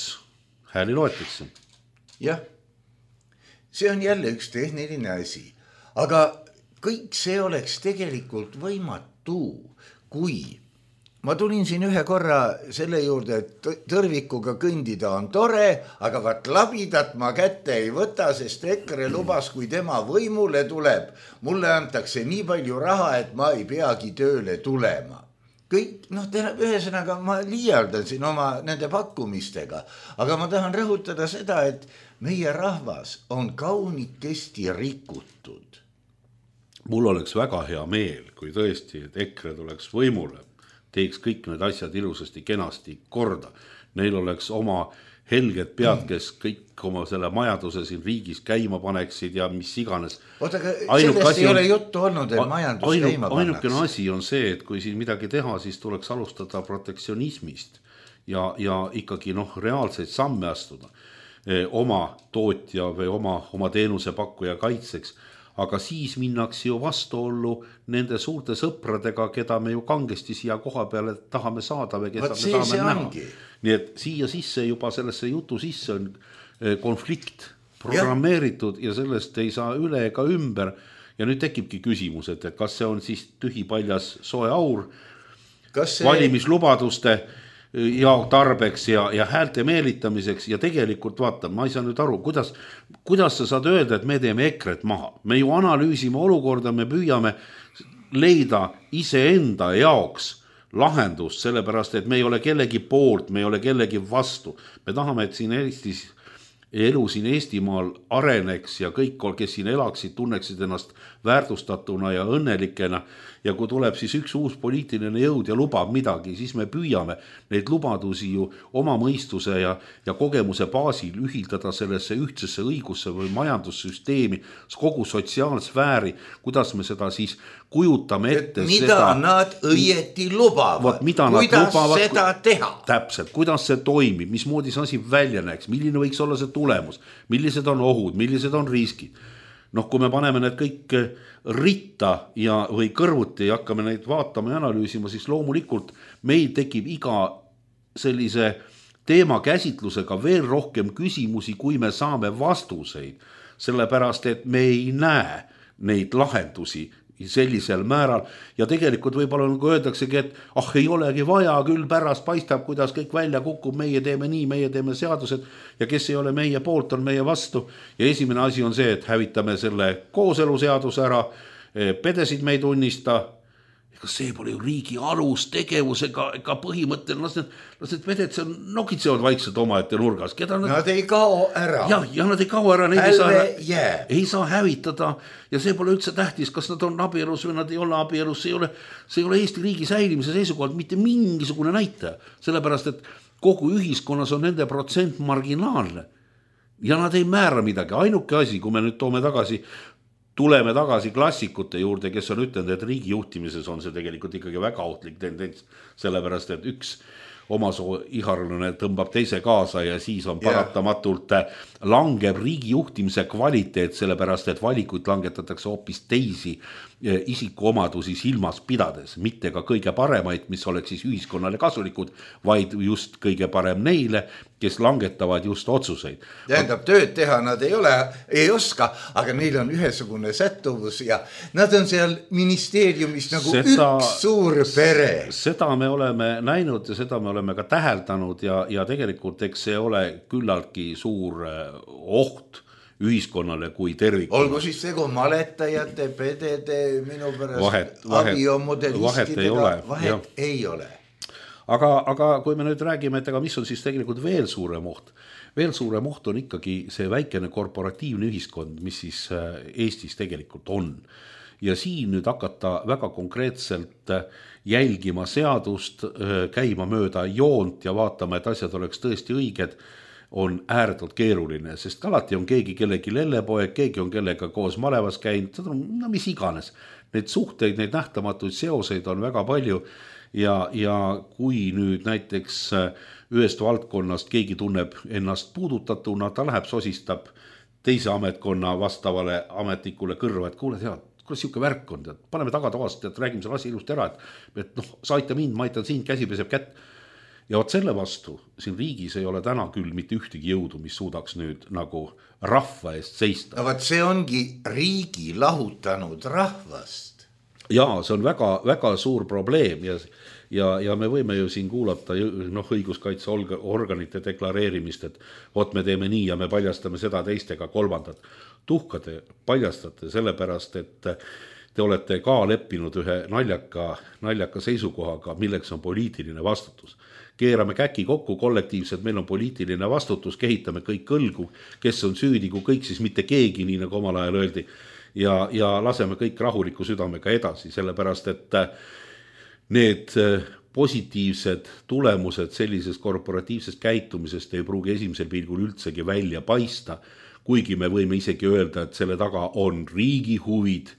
hääli loetakse.
Jah, see on jälle üks tehniline asi, aga kõik see oleks tegelikult võimatu, kui ma tulin siin ühe korra selle juurde, et tõrvikuga kõndida on tore, aga vaat labidat ma kätte ei võta, sest EKRE lubas, kui tema võimule tuleb, mulle antakse nii palju raha, et ma ei peagi tööle tulema. Kõik, noh, ühesõnaga ma liialdan siin oma nende pakkumistega, aga ma tahan rõhutada seda, et meie rahvas on kaunikesti rikutud.
Mul oleks väga hea meel, kui tõesti, et EKRE tuleks võimule, teeks kõik need asjad ilusasti, kenasti korda. Neil oleks oma helged pead, kes kõik oma selle majanduse siin riigis käima paneksid ja mis iganes.
Oota, aga sellest ei on, ole juttu olnud, et majandus
ainu,
käima pannakse.
Ainukene asi on see, et kui siin midagi teha, siis tuleks alustada protektsionismist ja, ja ikkagi noh, reaalseid samme astuda. oma tootja või oma, oma teenusepakkuja kaitseks. Aga siis minnakse ju vastuollu nende suurte sõpradega, keda me ju kangesti siia koha peale tahame saada või keda me tahame näha. Nii et siia sisse juba sellesse jutu sisse on konflikt programmeeritud ja. ja sellest ei saa üle ega ümber. Ja nüüd tekibki küsimus, et kas see on siis tühipaljas soe aur see... valimislubaduste ja tarbeks ja, ja häälte meelitamiseks ja tegelikult vaata, ma ei saa nüüd aru, kuidas, kuidas sa saad öelda, et me teeme EKRE-t maha. Me ju analüüsime olukorda, me püüame leida iseenda jaoks lahendust, sellepärast, et me ei ole kellegi poolt, me ei ole kellegi vastu. Me tahame, et siin Eestis elu siin Eestimaal areneks ja kõik, kes siin elaksid, tunneksid ennast väärtustatuna ja õnnelikena. Ja kui tuleb siis üks uus poliitiline jõud ja lubab midagi, siis me püüame neid lubadusi ju oma mõistuse ja, ja kogemuse baasil ühildada sellesse ühtsesse õigusse või majandussüsteemi, kogu sotsiaalsfääri, kuidas me seda siis kujutame ette.
Et mida seda, nad õieti lubavad,
mida
kuidas
lubavad,
seda teha.
Täpselt, kuidas see toimib, mismoodi see asi välja näeks, milline võiks olla see tulemus, millised on ohud, millised on riskid. Noh, kui me paneme need kõik ritta ja, või kõrvuti ja hakkame neid vaatama ja analüüsima, siis loomulikult meil tekib iga sellise teema käsitlusega veel rohkem küsimusi, kui me saame vastuseid, sellepärast et me ei näe neid lahendusi sellisel määral ja tegelikult võib-olla nagu öeldaksegi, et ah, ei olegi vaja, küll pärast paistab, kuidas kõik välja kukub, meie teeme nii, meie teeme seadused ja kes ei ole meie poolt, on meie vastu ja esimene asi on see, et hävitame selle kooseluseaduse ära, pedesid me ei tunnista, ega see pole ju riigi alus tegevusega, ega põhimõttel, las need, las need veded seal nokitsevad vaikselt oma ette nurgas. Keda nad...
nad ei kao ära.
Ja, ja nad ei kao ära, neid ei saa,
yeah.
ei saa hävitada ja see pole üldse tähtis, kas nad on abielus või nad ei ole abielus, see ei ole, see ei ole Eesti riigi säilimise seisukohalt mitte mingisugune näitaja, sellepärast et kogu ühiskonnas on nende protsent marginaalne ja nad ei määra midagi. Ainuke asi, kui me nüüd toome tagasi tuleme tagasi klassikute juurde, kes on ütlenud, et riigi juhtimises on see tegelikult ikkagi väga ohtlik tendents, sellepärast et üks omasoo iharlane tõmbab teise kaasa ja siis on paratamatult langeb riigi juhtimise kvaliteet, sellepärast et valikuid langetatakse hoopis teisi isikuomadusi silmas pidades, mitte ka kõige paremaid, mis oleks siis ühiskonnale kasulikud, vaid just kõige parem neile, kes langetavad just otsuseid.
Tähendab, tööd teha nad ei ole, ei oska, aga neil on ühesugune sättuvus ja nad on seal ministeeriumis nagu seda, üks suur pere.
Seda me oleme näinud ja seda me oleme ka täheldanud ja, ja tegelikult eks see ole küllaltki suur oht ühiskonnale kui tervikule.
Olgu siis tegu maletajate, pedede, minu pärast abiomodelistidega, vahet ja. Ei ole.
Aga, aga kui me nüüd räägime, et aga mis on siis tegelikult veel suurem oht, veel suurem oht on ikkagi see väikene korporatiivne ühiskond, mis siis Eestis tegelikult on. Ja siin nüüd hakata väga konkreetselt jälgima seadust, käima mööda joont ja vaatama, et asjad oleks tõesti õiged, on ääretult keeruline, sest alati on keegi kellegi lellepoeg, keegi on kellega koos malevas käinud, no mis iganes. Neid suhteid, neid nähtamatuid seoseid on väga palju ja, ja kui nüüd näiteks ühest valdkonnast keegi tunneb ennast puudutatuna, ta läheb sosistab teise ametkonna vastavale ametnikule kõrva, et kuule tead, kuidas siuke värk on, tead, paneme tagatoast, et räägime selle asi ilusti ära, et, et noh, sa aita mind, ma aitan sind, käsi peseb kätt. Ja oot selle vastu, siin riigis ei ole täna küll mitte ühtegi jõudu, mis suudaks nüüd nagu rahva eest seista.
No vaat see ongi riigi lahutanud rahvast.
Jaa, see on väga, väga suur probleem ja, ja, ja me võime ju siin kuulata noh, õiguskaitseorganite deklareerimist, et oot me teeme nii ja me paljastame seda teistega kolmandat. Tuhka te paljastate sellepärast, et te olete ka leppinud ühe naljaka, naljaka seisukohaga, milleks on poliitiline vastutus. Keerame käki kokku kollektiivselt, meil on poliitiline vastutus, kehitame kõik kõlgu, kes on süüdi, kui kõik siis mitte keegi, nii nagu omal ajal öeldi, ja, ja laseme kõik rahuliku südamega edasi, sellepärast et need positiivsed tulemused sellisest korporatiivsest käitumisest ei pruugi esimesel pilgul üldsegi välja paista, kuigi me võime isegi öelda, et selle taga on riigi huvid,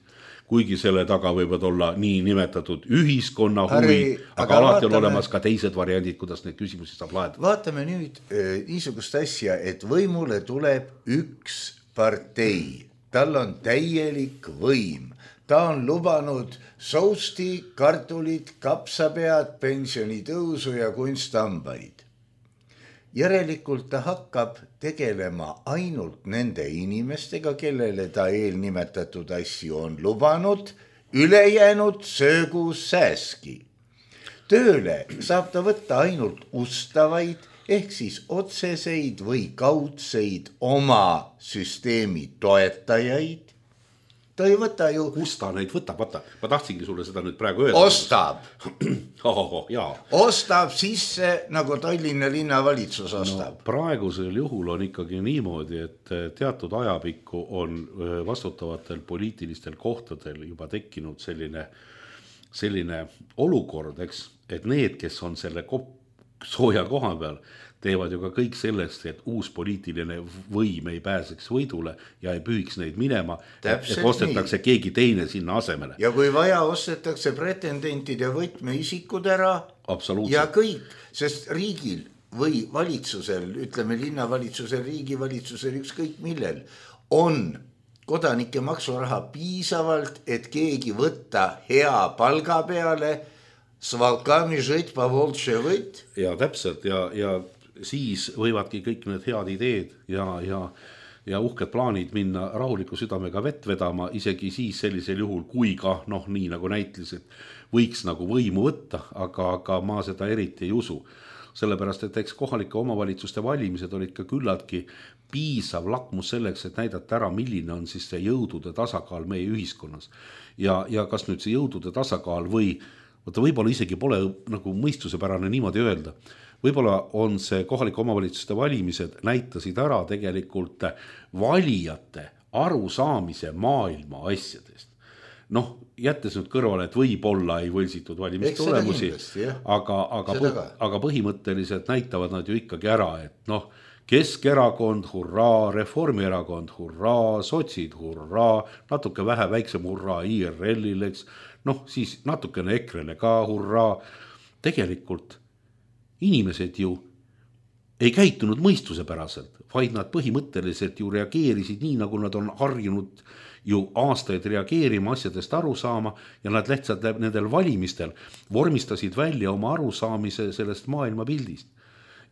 kuigi selle taga võivad olla nii nimetatud ühiskonna huvi,
Harri,
aga, aga alati vaatame, on olemas ka teised variandid, kuidas neid küsimusi saab lahendada.
Vaatame nüüd äh, niisugust asja, et võimule tuleb üks partei, tal on täielik võim. Ta on lubanud sousti, kartulid, kapsapead, pensionitõusu ja kunsthambaid. Järelikult ta hakkab tegelema ainult nende inimestega, kellele ta eelnimetatud asju on lubanud, ülejäänud söögu sääski. Tööle saab ta võtta ainult ustavaid ehk siis otseseid või kaudseid oma süsteemi toetajaid. Ta ei võta ju...
Kusta neid võtab, vaata, ma tahtsingi sulle seda nüüd praegu öelda.
Ostab.
oh, oh, jaa.
Ostab sisse, nagu Tallinna linnavalitsus ostab.
No, praegusel juhul on ikkagi niimoodi, et teatud ajapikku on vastutavatel poliitilistel kohtadel juba tekkinud selline, selline olukord, eks, et need, kes on selle sooja koha peal, teevad ju ka kõik sellest, et uus poliitiline võim ei pääseks võidule ja ei pühiks neid minema, et ostetakse nii. Keegi teine sinna asemele.
Ja kui vaja, ostetakse pretendentide võtmeisikud ära ja kõik, sest riigil või valitsusel, ütleme linnavalitsusel, riigivalitsusel, ükskõik millel, on kodanike maksuraha piisavalt, et keegi võtta hea palga peale, svalkami žõt, pavoltše võt.
Ja täpselt ja, ja siis võivadki kõik need head ideed ja, ja, ja uhked plaanid minna rahuliku südamega vett vedama, isegi siis sellisel juhul, kui ka, noh, nii nagu näitlised, võiks nagu võimu võtta, aga, aga ma seda eriti ei usu. Sellepärast, et eks kohalike omavalitsuste valimised olid ka küllaltki piisav lakmus selleks, et näidata ära, milline on siis see jõudude tasakaal meie ühiskonnas. Ja, ja kas nüüd see jõudude tasakaal või, võtta võib-olla isegi pole nagu mõistusepärane niimoodi öelda, võib-olla on see kohalike omavalitsuste valimised näitasid ära tegelikult valijate arusaamise maailma asjadest. Noh, jättes nüüd kõrvale, et võib-olla ei võlsitud valimistulemusi, aga, aga, aga põhimõtteliselt näitavad nad ju ikkagi ära, et noh, Keskerakond, hurraa, Reformierakond, hurraa, sotsid, hurraa, natuke vähe väiksem hurraa I R L-il, eks, noh, siis natukene Ekrele ka hurraa. Tegelikult inimesed ju ei käitunud mõistusepäraselt, vaid nad põhimõtteliselt ju reageerisid nii, nagu nad on harjunud ju aastaid reageerima, asjadest aru saama ja nad lihtsalt nendel valimistel vormistasid välja oma arusaamise sellest maailmapildist.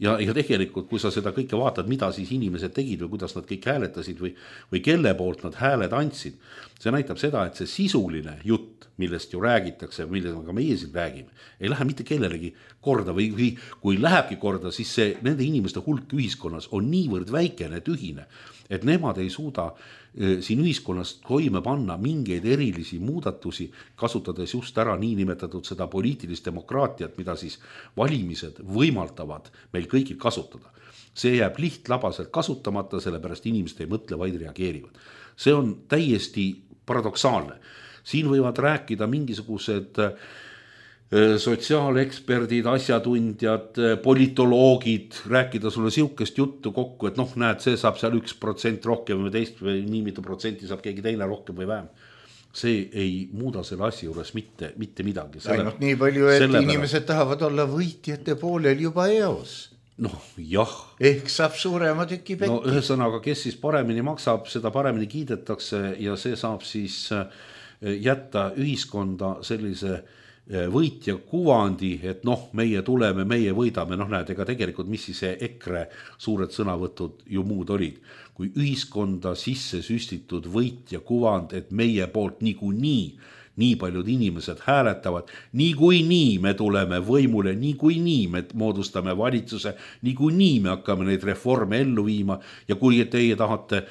Ja, ja tegelikult, kui sa seda kõike vaatad, mida siis inimesed tegid või kuidas nad kõik hääletasid või, või kelle poolt nad hääled andsid, see näitab seda, et see sisuline jutt, millest ju räägitakse, millega meie siin räägime, ei lähe mitte kellelegi korda või, või kui lähebki korda, siis see, nende inimeste hulk ühiskonnas on niivõrd väikene, tühine, et nemad ei suuda e, siin ühiskonnas toime panna mingeid erilisi muudatusi, kasutades just ära niinimetatud seda poliitilist demokraatiat, mida siis valimised võimaldavad meil kõigil kasutada. See jääb lihtlabaselt kasutamata, sellepärast inimesed ei mõtle, vaid reageerivad. See on täiesti paradoksaalne. Siin võivad rääkida mingisugused sotsiaaleksperdid, asjatundjad, politoloogid, rääkida sulle siukest juttu kokku, et noh, näed, see saab seal üks protsent rohkem või teist või nii mitu protsenti saab keegi teine rohkem või vähem. See ei muuda selle asja juures mitte, mitte midagi.
Ainult nii palju, et selle inimesed tahavad olla võitjate poolel juba eos.
Noh, jah.
Ehk saab suurema tüki pekki.
No ühesõnaga, kes siis paremini maksab, seda paremini kiidetakse ja see saab siis jätta ühiskonda sellise võitja kuvandi, et noh, meie tuleme, meie võidame, noh näed, ega tegelikult mis siis see EKRE suured sõnavõtud ju muud olid, kui ühiskonda sisse süstitud võitja kuvand, et meie poolt niikuinii nii paljud inimesed hääletavad, niikuinii me tuleme võimule, niikuinii me moodustame valitsuse, niikuinii me hakkame neid reforme ellu viima ja kui teie tahate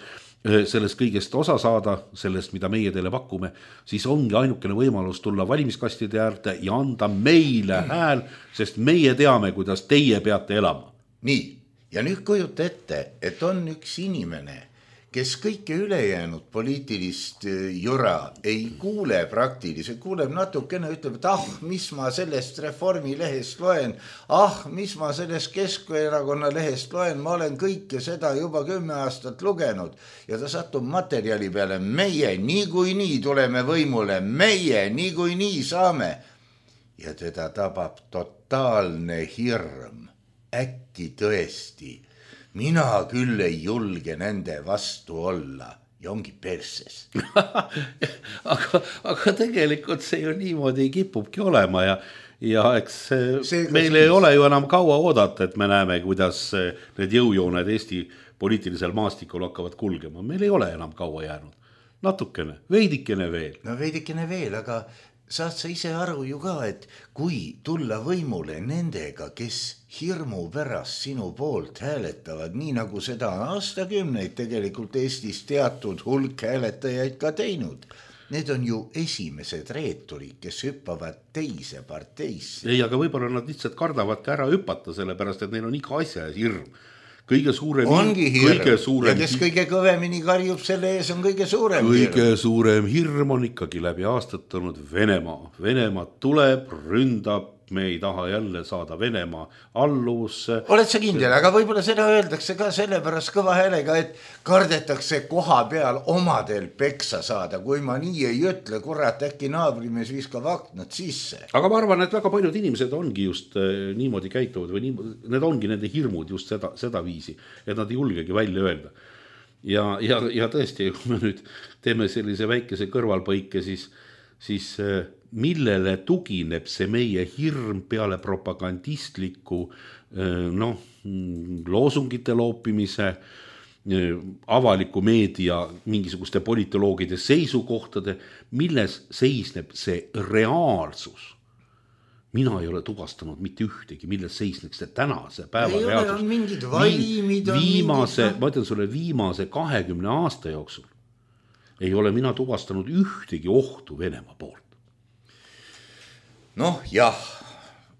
sellest kõigest osa saada, sellest, mida meie teile pakume, siis ongi ainukene võimalus tulla valimiskastide äärde ja anda meile hääl, sest meie teame, kuidas teie peate elama.
Nii, ja nüüd kujuta ette, et on üks inimene, kes kõike ülejäänud poliitilist jura ei kuule praktiliselt, kuuleb natukene, ütleb, et ah, mis ma sellest Reformi lehest loen, ah, mis ma sellest Keskerakonna lehest loen, ma olen kõike seda juba kümme aastat lugenud ja ta satub materjali peale, meie niikuinii tuleme võimule, meie niikuinii saame ja teda tabab totaalne hirm, äkki tõesti. Mina küll ei julge nende vastu olla ja ongi perses.
aga, aga tegelikult see ju niimoodi kipubki olema ja, ja eks meil ei ole ju enam kaua oodata, et me näeme, kuidas need jõujooned Eesti poliitilisel maastikul hakkavad kulgema. Meil ei ole enam kaua jäänud. Natukene, veidikene veel.
No veidikene veel, aga saad sa ise aru ju ka, et kui tulla võimule nendega, kes hirmu pärast sinu poolt hääletavad, nii nagu seda on aastakümneid tegelikult Eestis teatud hulk hääletajaid ka teinud. Need on ju esimesed reeturid, kes hüppavad teise parteisse.
Ei, aga võib-olla nad lihtsalt kardavadki ära hüppata, sellepärast, et neil on iga asja hirm. Kõige suurem
ongi hirm
kõige suurem,
ja kes kõige kõvemini karjub selle ees on kõige suurem
kõige
hirm.
suurem hirm on ikkagi läbi aastatanud Venemaa. Venemaa tuleb, ründab, me ei taha jälle saada Venemaa alluvusse.
Oled sa kindel, aga võib-olla seda öeldakse ka sellepärast kõva häälega, et kardetakse koha peal omadel peksa saada. Kui ma nii ei ütle, kurat, äkki naabrimees viskab aknad sisse.
Aga ma arvan, et väga paljud inimesed ongi just niimoodi käituvad või nii, need ongi nende hirmud just seda, seda viisi, et nad ei julgegi välja öelda. Ja, ja, ja tõesti, kui me nüüd teeme sellise väikese kõrvalpõike, siis, siis millele tugineb see meie hirm peale propagandistliku noh, loosungite loopimise, avaliku meedia mingisuguste politoloogide seisukohtade, milles seisneb see reaalsus. Mina ei ole tuvastanud mitte ühtegi, milles seisneks see tänase päeva
ei
reaalsus.
Ole, on mingid vaimid, on
viimase,
mingid...
ma ütlen sulle, viimase kahekümne aasta jooksul ei ole mina tuvastanud ühtegi ohtu Venemaa poolt.
Noh, jah,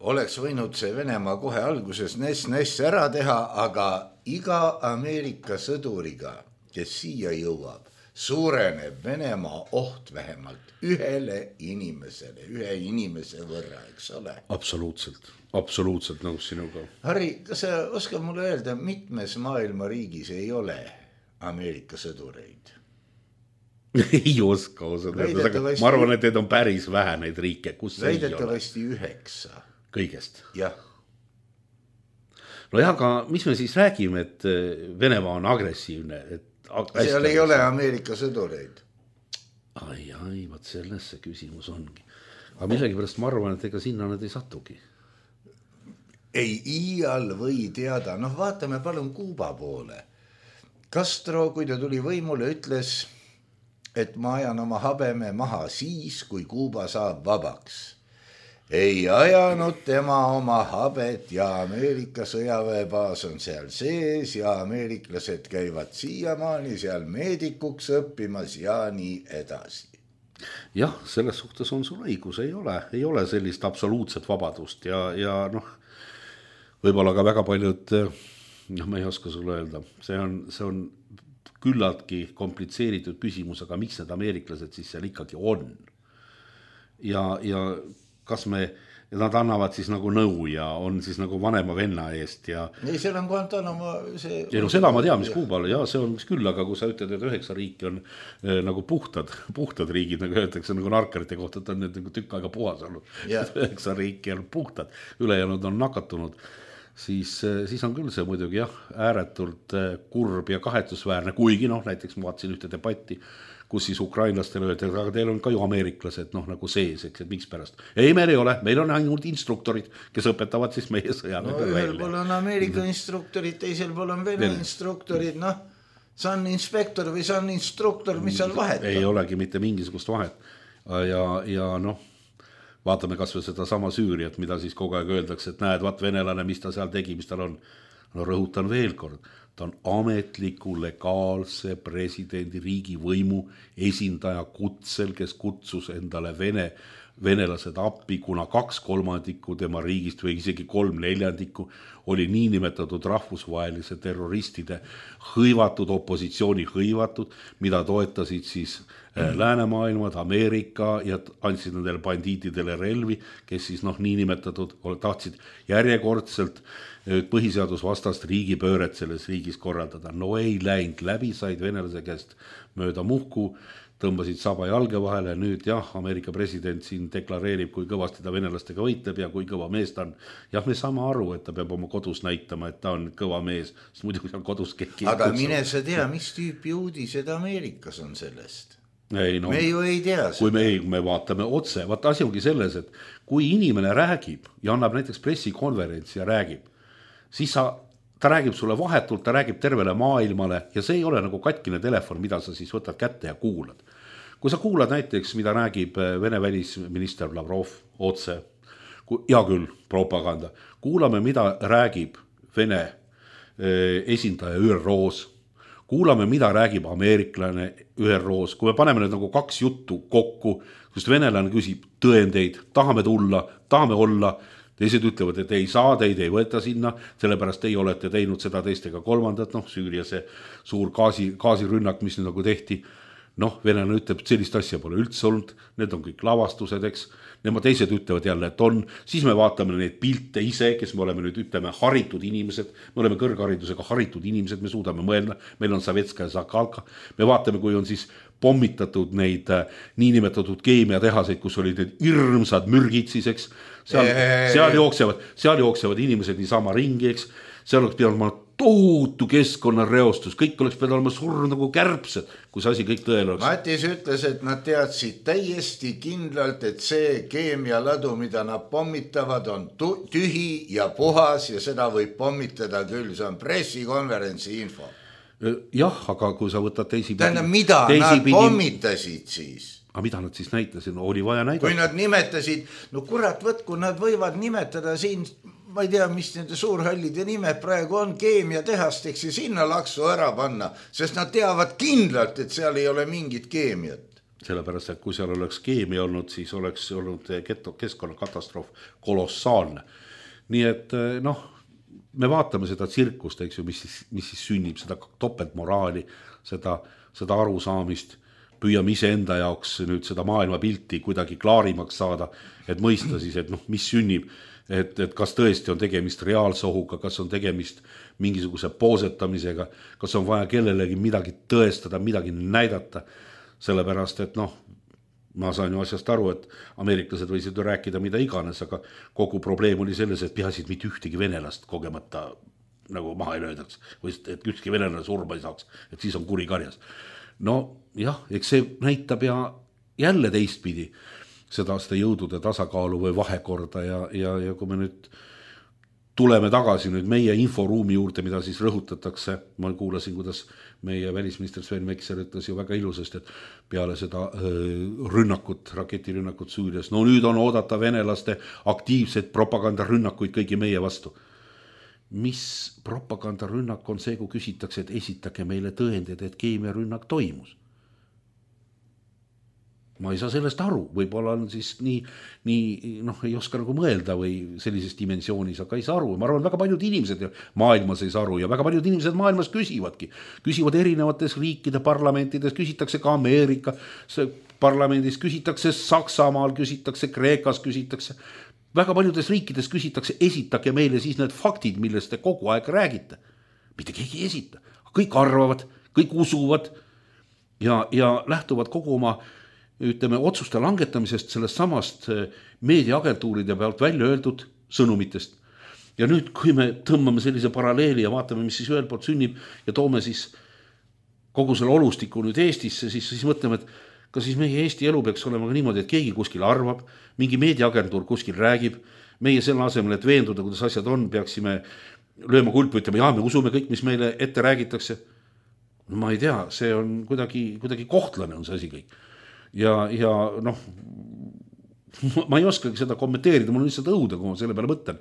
oleks võinud see Venemaa kohe alguses ness-ness ära teha, aga iga Ameerika sõduriga, kes siia jõuab, suureneb Venemaa oht vähemalt ühele inimesele, ühe inimese võrra, eks ole?
Absoluutselt, absoluutselt nõus sinuga.
Harri, kas sa oskad mulle öelda, mitmes maailma riigis ei ole Ameerika sõdureid?
ei oska osada. Ma arvan, et need on päris vähe neid riike, kus see ei ole.
Väidetavasti üheksa.
Kõigest?
Jah.
No jah, aga mis me siis räägime, et Venemaa on agressiivne? Et
seal ei ole Ameerika sõdureid.
Ai, ai, vaat selles see küsimus ongi. Aga millegi pärast ma arvan, et ega sinna nad ei satugi.
Ei iial või teada. Noh, vaatame palun Kuuba poole. Castro, kui ta tuli võimule, ütles... et ma ajan oma habeme maha siis, kui Kuuba saab vabaks. Ei ajanud tema oma habet ja Ameerika sõjaväebaas on seal sees ja ameeriklased käivad siiamaani seal meedikuks õppimas ja nii edasi.
Jah, selles suhtes on sul õigus, ei ole, ei ole sellist absoluutset vabadust ja, ja noh, võib-olla ka väga paljud, noh, ma ei oska sulle öelda, see on, see on küllaltki komplitseeritud küsimus, aga miks need ameeriklased siis seal ikkagi on? Ja, ja kas me, nad annavad siis nagu nõu ja on siis nagu vanema venna eest ja...
Ei, seal on Guantanamo see...
Ei, no seda ma tean, mis Kuubal, ja see on mis küll, aga kui sa ütled, et üheksa riiki on eh, nagu puhtad, puhtad riigid, nagu öeldakse nagu narkarite kohta, et on nüüd nagu tükk aega puhas olnud. üheksa riiki on puhtad, ülejäänud on nakatunud. Siis, siis on küll see muidugi jah, ääretult kurb ja kahetsusväärne, kuigi noh, näiteks ma vaatasin ühte debatti, kus siis ukrainlastele öeldi, aga teil on ka ju ameeriklased noh nagu sees, eks, et miks pärast. Ei, meil ei ole, meil on ainult instruktorid, kes õpetavad siis meie sõjaväe
no, ühel pool on Ameerika instruktorid, teisel pool on Vene instruktorid, noh, see on inspektor või see on instruktor, mis seal vahet on?
Ei olegi mitte mingisugust vahet ja, ja noh, vaatame kas või seda sama Süüriat, mida siis kogu aeg öeldakse, et näed, vaat venelane, mis ta seal tegi, mis tal on. No rõhutan veel kord, ta on ametliku legaalse presidendi riigi võimu esindaja kutsel, kes kutsus endale Vene venelased appi, kuna kaks kolmandikku tema riigist või isegi kolm neljandikku oli niinimetatud rahvusvahelise terroristide hõivatud, opositsiooni hõivatud, mida toetasid siis mm. läänemaailmad, Ameerika ja andsid nendele bandiitidele relvi, kes siis noh, niinimetatud tahtsid järjekordselt põhiseadusvastast riigipööret selles riigis korraldada. No ei läinud läbi, said venelase käest mööda muhku, tõmbasid saba jalge vahele, nüüd jah, Ameerika president siin deklareerib, kui kõvasti ta venelastega võitleb ja kui kõva mees ta on. Jah, me saame aru, et ta peab oma kodus näitama, et ta on kõva mees, sest muidu seal kodus keegi.
Aga mine sa tea, mis tüüpi uudised Ameerikas on sellest?
Ei, no,
me ju ei tea seda.
Kui me, me vaatame otse, vaat asi ongi selles, et kui inimene räägib ja annab näiteks pressikonverentsi ja räägib, siis sa ta räägib sulle vahetult, ta räägib tervele maailmale ja see ei ole nagu katkine telefon, mida sa siis võtad kätte ja kuulad. Kui sa kuulad näiteks, mida räägib Vene välisminister Lavrov otse, hea küll, propaganda, kuulame, mida räägib Vene esindaja Ü R O-s, kuulame, mida räägib ameeriklane Ü R O-s, kui me paneme need nagu kaks juttu kokku, sest venelane küsib tõendeid, tahame tulla, tahame olla, teised ütlevad, et ei saa, teid ei võeta sinna, sellepärast ei olete teinud seda teist ega kolmandat, noh, Süüria see suur gaasi, gaasirünnak, mis nüüd nagu tehti, noh, venelane ütleb, et sellist asja pole üldse olnud, need on kõik lavastused, eks, nemad teised ütlevad jälle, et on, siis me vaatame neid pilte ise, kes me oleme nüüd, ütleme, haritud inimesed, me oleme kõrgharidusega haritud inimesed, me suudame mõelda, meil on Savetska ja Zakalka, me vaatame, kui on siis pommitatud neid niinimetatud keemiatehaseid, kus olid need hirmsad mürgid siis, eks, seal, seal, jooksevad, seal jooksevad inimesed niisama ringi, eks, seal oleks pidanud ma tohutu keskkonnareostus, kõik oleks pidanud olema surnud nagu kärbsed, kui see asi kõik tõele oleks.
Matis ütles, et nad teadsid täiesti kindlalt, et see keemialadu, mida nad pommitavad, on tühi ja puhas ja seda võib pommitada küll, see on pressikonverentsi info.
Jah, aga kui sa võtad teisipidi...
Tähendab, mida teisipidi... nad pommitasid siis?
Aga mida nad siis näitasid? No, oli vaja näidata.
Kui nad nimetasid, no kurat, võtku, nad võivad nimetada siin, ma ei tea, mis nende suurhallide nimed praegu on, keemiatehasteks ja sinna laksu ära panna, sest nad teavad kindlalt, et seal ei ole mingit keemiat.
Sellepärast, et kui seal oleks keemia olnud, siis oleks olnud keskkonnakatastroof kolossaalne. Nii et noh, me vaatame seda tsirkust, eks ju, mis siis, mis siis sünnib, seda topeltmoraali, seda, seda arusaamist, püüame ise enda jaoks nüüd seda maailmapilti kuidagi klaarimaks saada, et mõista siis, et noh, mis sünnib, et, et kas tõesti on tegemist reaalse ohuga, kas on tegemist mingisuguse poosetamisega, kas on vaja kellelegi midagi tõestada, midagi näidata, sellepärast, et noh, ma saan ju asjast aru, et ameeriklased võisid ju rääkida mida iganes, aga kogu probleem oli selles, et peasid mitte ühtegi venelast kogemata nagu maha ei löödaks, või et ükski venelane surma ei saaks, et siis on kuri karjas. No jah, eks see näitab ja jälle teistpidi seda, seda jõudude tasakaalu või vahekorda ja, ja, ja kui me nüüd tuleme tagasi nüüd meie inforuumi juurde, mida siis rõhutatakse, ma kuulasin, kuidas meie välisminister Sven Mikser ütles ju väga ilusasti, et peale seda rünnakut, raketirünnakut Süürias, no nüüd on oodata venelaste aktiivseid propagandarünnakuid kõigi meie vastu. Mis propagandarünnak on see, kui küsitakse, et esitake meile tõendid, et keemiarünnak toimus? Ma ei saa sellest aru, võib-olla on siis nii, nii noh, ei oska nagu mõelda või sellises dimensioonis, aga ei saa aru. Ma arvan, väga paljud inimesed maailmas ei saa aru ja väga paljud inimesed maailmas küsivadki. Küsivad erinevates riikide parlamentides, küsitakse ka Ameerika parlamendis, küsitakse Saksamaal, küsitakse Kreekas, küsitakse. Väga paljudes riikides küsitakse, esitage meile siis need faktid, millest te kogu aeg räägite. Mitte keegi ei esita. Kõik arvavad, kõik usuvad ja, ja lähtuvad kogu oma ütleme, otsuste langetamisest sellest samast meediaagentuuride pealt välja öeldud sõnumitest. Ja nüüd, kui me tõmbame sellise paralleeli ja vaatame, mis siis ühel poolt sünnib ja toome siis kogu selle olustiku nüüd Eestisse, siis, siis mõtleme, et kas siis meie Eesti elu peaks olema ka niimoodi, et keegi kuskil arvab, mingi meediaagentuur kuskil räägib, meie selle asemel, et veenduda, kuidas asjad on, peaksime lööma kulpu, ütlema, jaa, me usume kõik, mis meile ette räägitakse. No, ma ei tea, see on kuidagi, kuidagi kohtlane on see asi kõik. Ja, ja noh, ma ei oskagi seda kommenteerida, mul on lihtsalt õuda, kui ma selle peale mõtlen,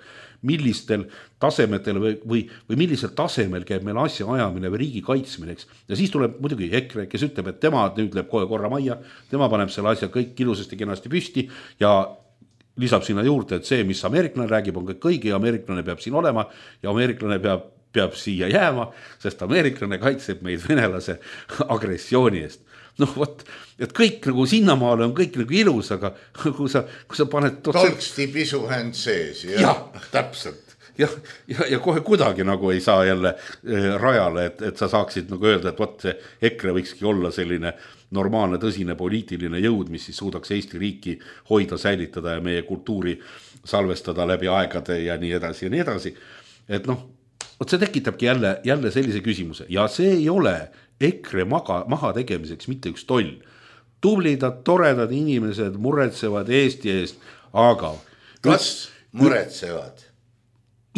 millistel tasemetel või, või, või millisel tasemel käib meil asja ajamine või riigi kaitsmine, eks. Ja siis tuleb muidugi EKRE, kes ütleb, et tema nüüd läheb kohe korra majja, tema paneb selle asja kõik ilusasti kenasti püsti ja lisab sinna juurde, et see, mis ameeriklane räägib, on kõik õige ja ameeriklane peab siin olema ja ameeriklane peab, peab siia jääma, sest ameeriklane kaitseb meid venelase agressiooni eest. Noh, võt, et kõik nagu sinnamaale on kõik nagu ilus, aga kui sa, kui sa paned...
Tolksti pisuhänd sees.
Ja, ja täpselt. Ja, ja, ja kohe kuidagi nagu ei saa jälle eh, rajale, et, et sa saaksid nagu öelda, et võt, see EKRE võikski olla selline normaalne, tõsine poliitiline jõud, mis siis suudaks Eesti riiki hoida, säilitada ja meie kultuuri salvestada läbi aegade ja nii edasi ja nii edasi. Et noh, võt see tekitabki jälle, jälle sellise küsimuse ja see ei ole EKRE maga, maha tegemiseks mitte üks toll. Tublidad, toredad inimesed muretsevad Eesti eest, aga...
Kas muretsevad?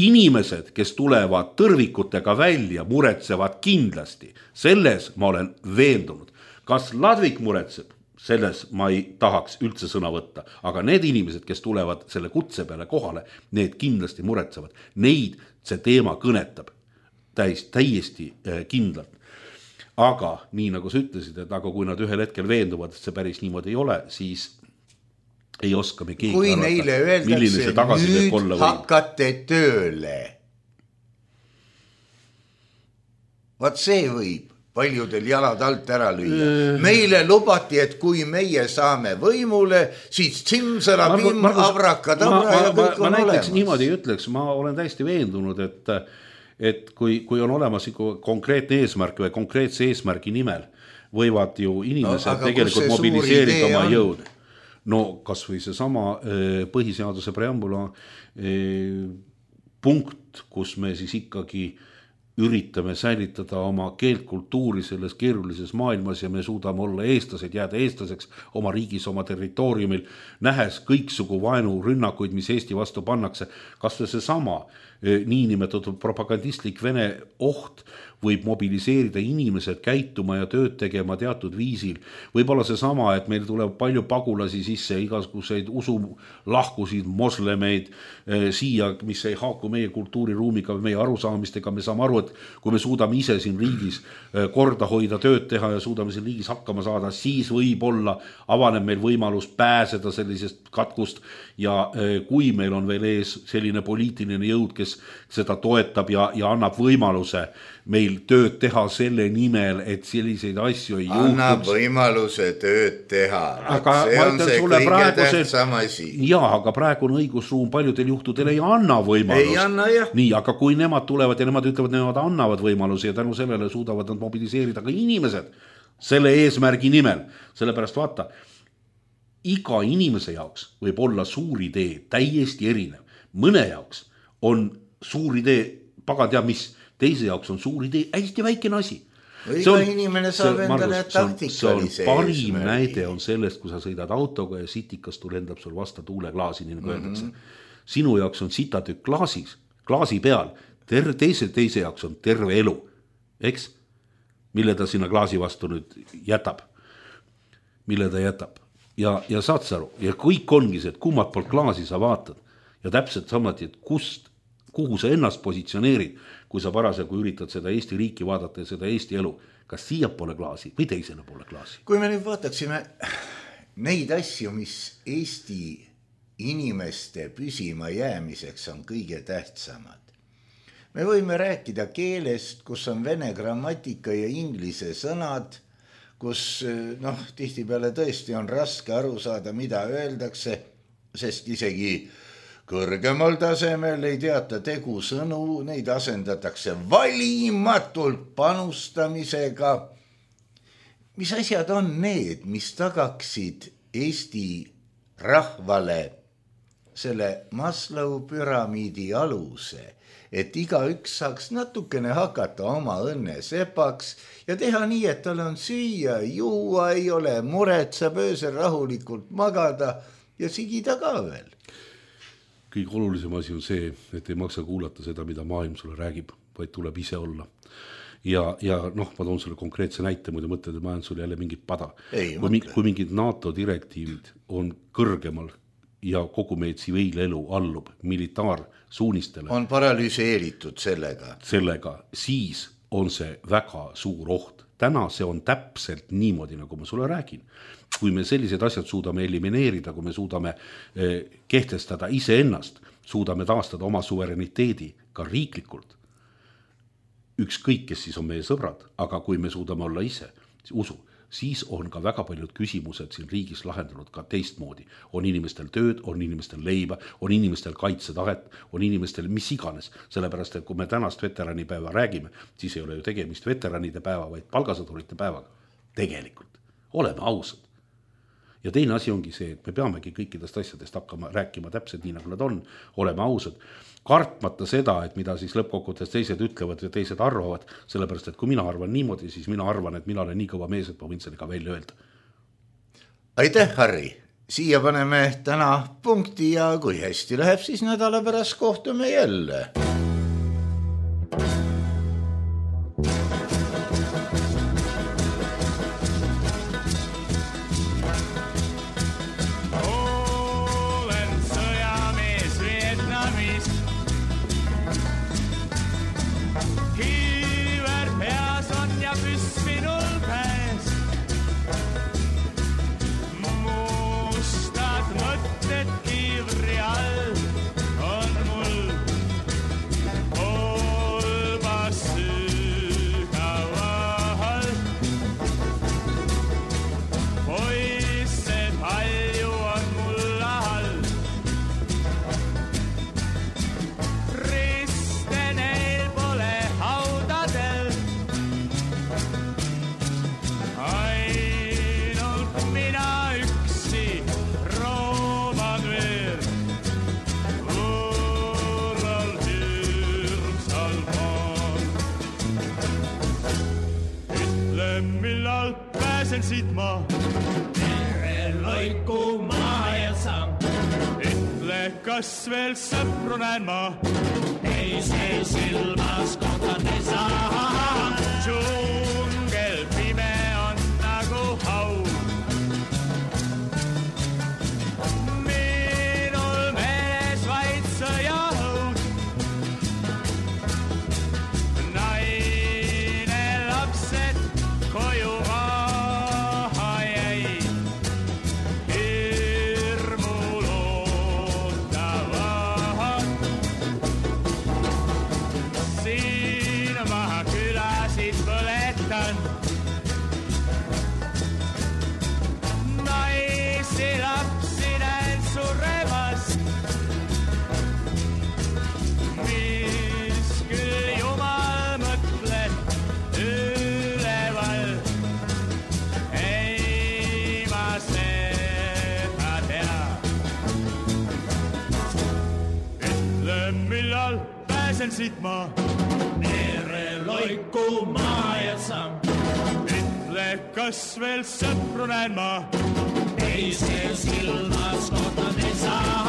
Inimesed, kes tulevad tõrvikutega välja, muretsevad kindlasti. Selles ma olen veendunud. Kas Ladvik muretseb? Selles ma ei tahaks üldse sõna võtta. Aga need inimesed, kes tulevad selle kutse peale kohale, need kindlasti muretsevad. Neid see teema kõnetab täis, täiesti kindlalt. Aga nii nagu sa ütlesid, et aga kui nad ühel hetkel veenduvad, et see päris niimoodi ei ole, siis ei oska me keegi
kui arvata, neile öeldakse, nüüd hakkate tööle. Vaat see võib paljudel jalad alt ära lüüa. Meile lubati, et kui meie saame võimule, siis tsimsala, pimm, avraka, tabra ja kõik on
ma näiteks
olemas.
Niimoodi ütleks, ma olen täiesti veendunud, et et kui, kui on olemas konkreetne eesmärk või konkreetse eesmärgi nimel, võivad ju inimesed no, tegelikult mobiliseerida oma jõud. No kas või see sama põhiseaduse preambula punkt, kus me siis ikkagi üritame säilitada oma keeltkultuuri selles keerulises maailmas ja me suudame olla eestlased, jääda eestlaseks oma riigis, oma territooriumil, nähes kõiksugu vaenu rünnakuid, mis Eesti vastu pannakse. Kas see sama niinimetatud propagandistlik Vene oht võib mobiliseerida inimesed käituma ja tööd tegema teatud viisil. Võib olla see sama, et meil tuleb palju pagulasi sisse, igasuguseid usulahkusid, moslemeid eh, siia, mis ei haaku meie kultuuriruumiga või meie arusaamistega. Me saame aru, et kui me suudame ise siin riigis eh, korda hoida, tööd teha ja suudame siin riigis hakkama saada, siis võib-olla avaneb meil võimalus pääseda sellisest katkust ja eh, kui meil on veel ees selline poliitiline jõud, kes seda toetab ja, ja annab võimaluse meil tööd teha selle nimel, et selliseid asju ei juhtuks.
Annab võimaluse tööd teha.
Aga see on see kõige tähtsam asi. Jaa, aga praegu on õigusruum paljudel juhtudel ei anna võimalust.
Ei anna, jah.
Nii, aga kui nemad tulevad ja nemad ütlevad, nemad annavad võimalusi ja tänu sellele suudavad nad mobiliseerida ka inimesed selle eesmärgi nimel. Sellepärast vaata, iga inimese jaoks võib olla suur idee täiesti erinev. Mõne jaoks on suur idee, pagan teab mis, teise jaoks on suur idee, hästi väikene asi.
Iga inimene saab endale taktikalise.
Parim näide on sellest, kui sa sõidad autoga ja sitikast lendab sul vasta tuuleklaasi, nii nagu öeldakse. Sinu jaoks on sitatükk klaasis, klaasi peal, ter- teise, teise jaoks on terve elu, eks? Mille ta sinna klaasi vastu nüüd jätab. Mille ta jätab. Ja, ja saad sa aru, ja kõik ongi see, et kummad poolt klaasi sa vaatad ja täpselt samati, et kust kuhu sa ennast positsioneerid, kui sa parasjagu üritad seda Eesti riiki vaadata ja seda Eesti elu, kas siia pole klaasi või teisena pole klaasi.
Kui me nüüd vaataksime neid asju, mis Eesti inimeste püsima jäämiseks on kõige tähtsamad. Me võime rääkida keelest, kus on vene grammatika ja inglise sõnad, kus noh, tihtipeale tõesti on raske aru saada, mida öeldakse, sest isegi kõrgemal tasemel ei teata tegu sõnu, neid asendatakse valimatult panustamisega. Mis asjad on need, mis tagaksid Eesti rahvale selle Maslow püramiidi aluse, et iga üks saaks natukene hakata oma õnne sepaks ja teha nii, et tal on süüa, juua, ei ole muret, saab öösel rahulikult magada ja sigida ka veel.
Kõige olulisem asi on see, et ei maksa kuulata seda, mida maailm sulle räägib, vaid tuleb ise olla. Ja, ja noh, ma toon sulle konkreetse näite, muidu mõtled, et ma olen sulle jälle mingit pada.
Ei,
kui, mingi, kui mingid NATO direktiivid on kõrgemal ja kogu meie tsiviilelu allub militaarsuunistele.
On paralüseeritud sellega.
Sellega, siis on see väga suur oht. Täna see on täpselt niimoodi, nagu ma sulle räägin. Kui me sellised asjad suudame elimineerida, kui me suudame kehtestada iseennast, suudame taastada oma suvereniteedi ka riiklikult, ükskõik, kes siis on meie sõbrad, aga kui me suudame olla ise, usu, siis on ka väga paljud küsimused siin riigis lahendanud ka teistmoodi. On inimestel tööd, on inimestel leiba, on inimestel kaitsetahet, on inimestel mis iganes. Sellepärast, et kui me tänast veteranipäeva räägime, siis ei ole ju tegemist veteranide päeva, vaid palgasõdurite päevaga. Tegelikult. Oleme ausad. Ja teine asi ongi see, et me peamegi kõikidest asjadest hakkama rääkima täpselt nii, nagu nad on. Oleme ausad. Kartmata seda, et mida siis lõppkokkuvõttes teised ütlevad ja teised arvavad, sellepärast, et kui mina arvan niimoodi, siis mina arvan, et mina olen nii kõva mees, et ma võin selle ka välja öelda.
Aitäh, Harri! Siia paneme täna punkti ja kui hästi läheb, siis nädala pärast kohtume jälle.
Siit ma tere loiku maa ja samm. Ütle, kas veel sõpru näen ma? Ei see silmas kohtan ei saa. Džungel pime on nagu hau. Minul mees vaid sõjaõud. Naine lapsed koju siit ma tere loiku maa ja samm. Ütle, kas veel sõpru näen ma? Ei see silmas kohtan ei saa.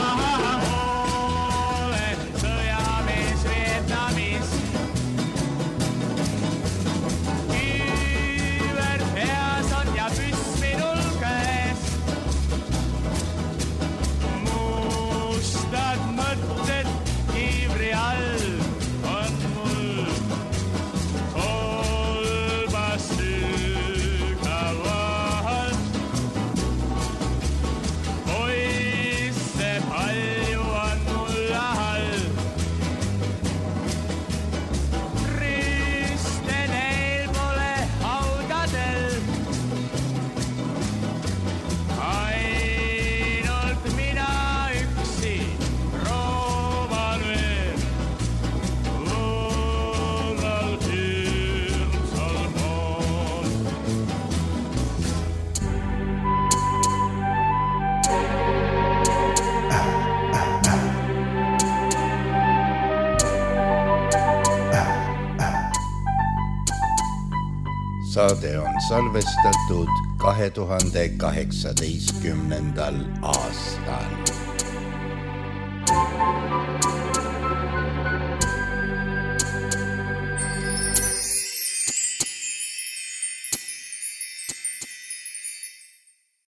Olen sõjamees Vietnamis. Kiiver peas on ja püss minul käes. Mustad mõtted kiivri all.
Saade on salvestatud kahe tuhande kaheksateistkümnendal aastal.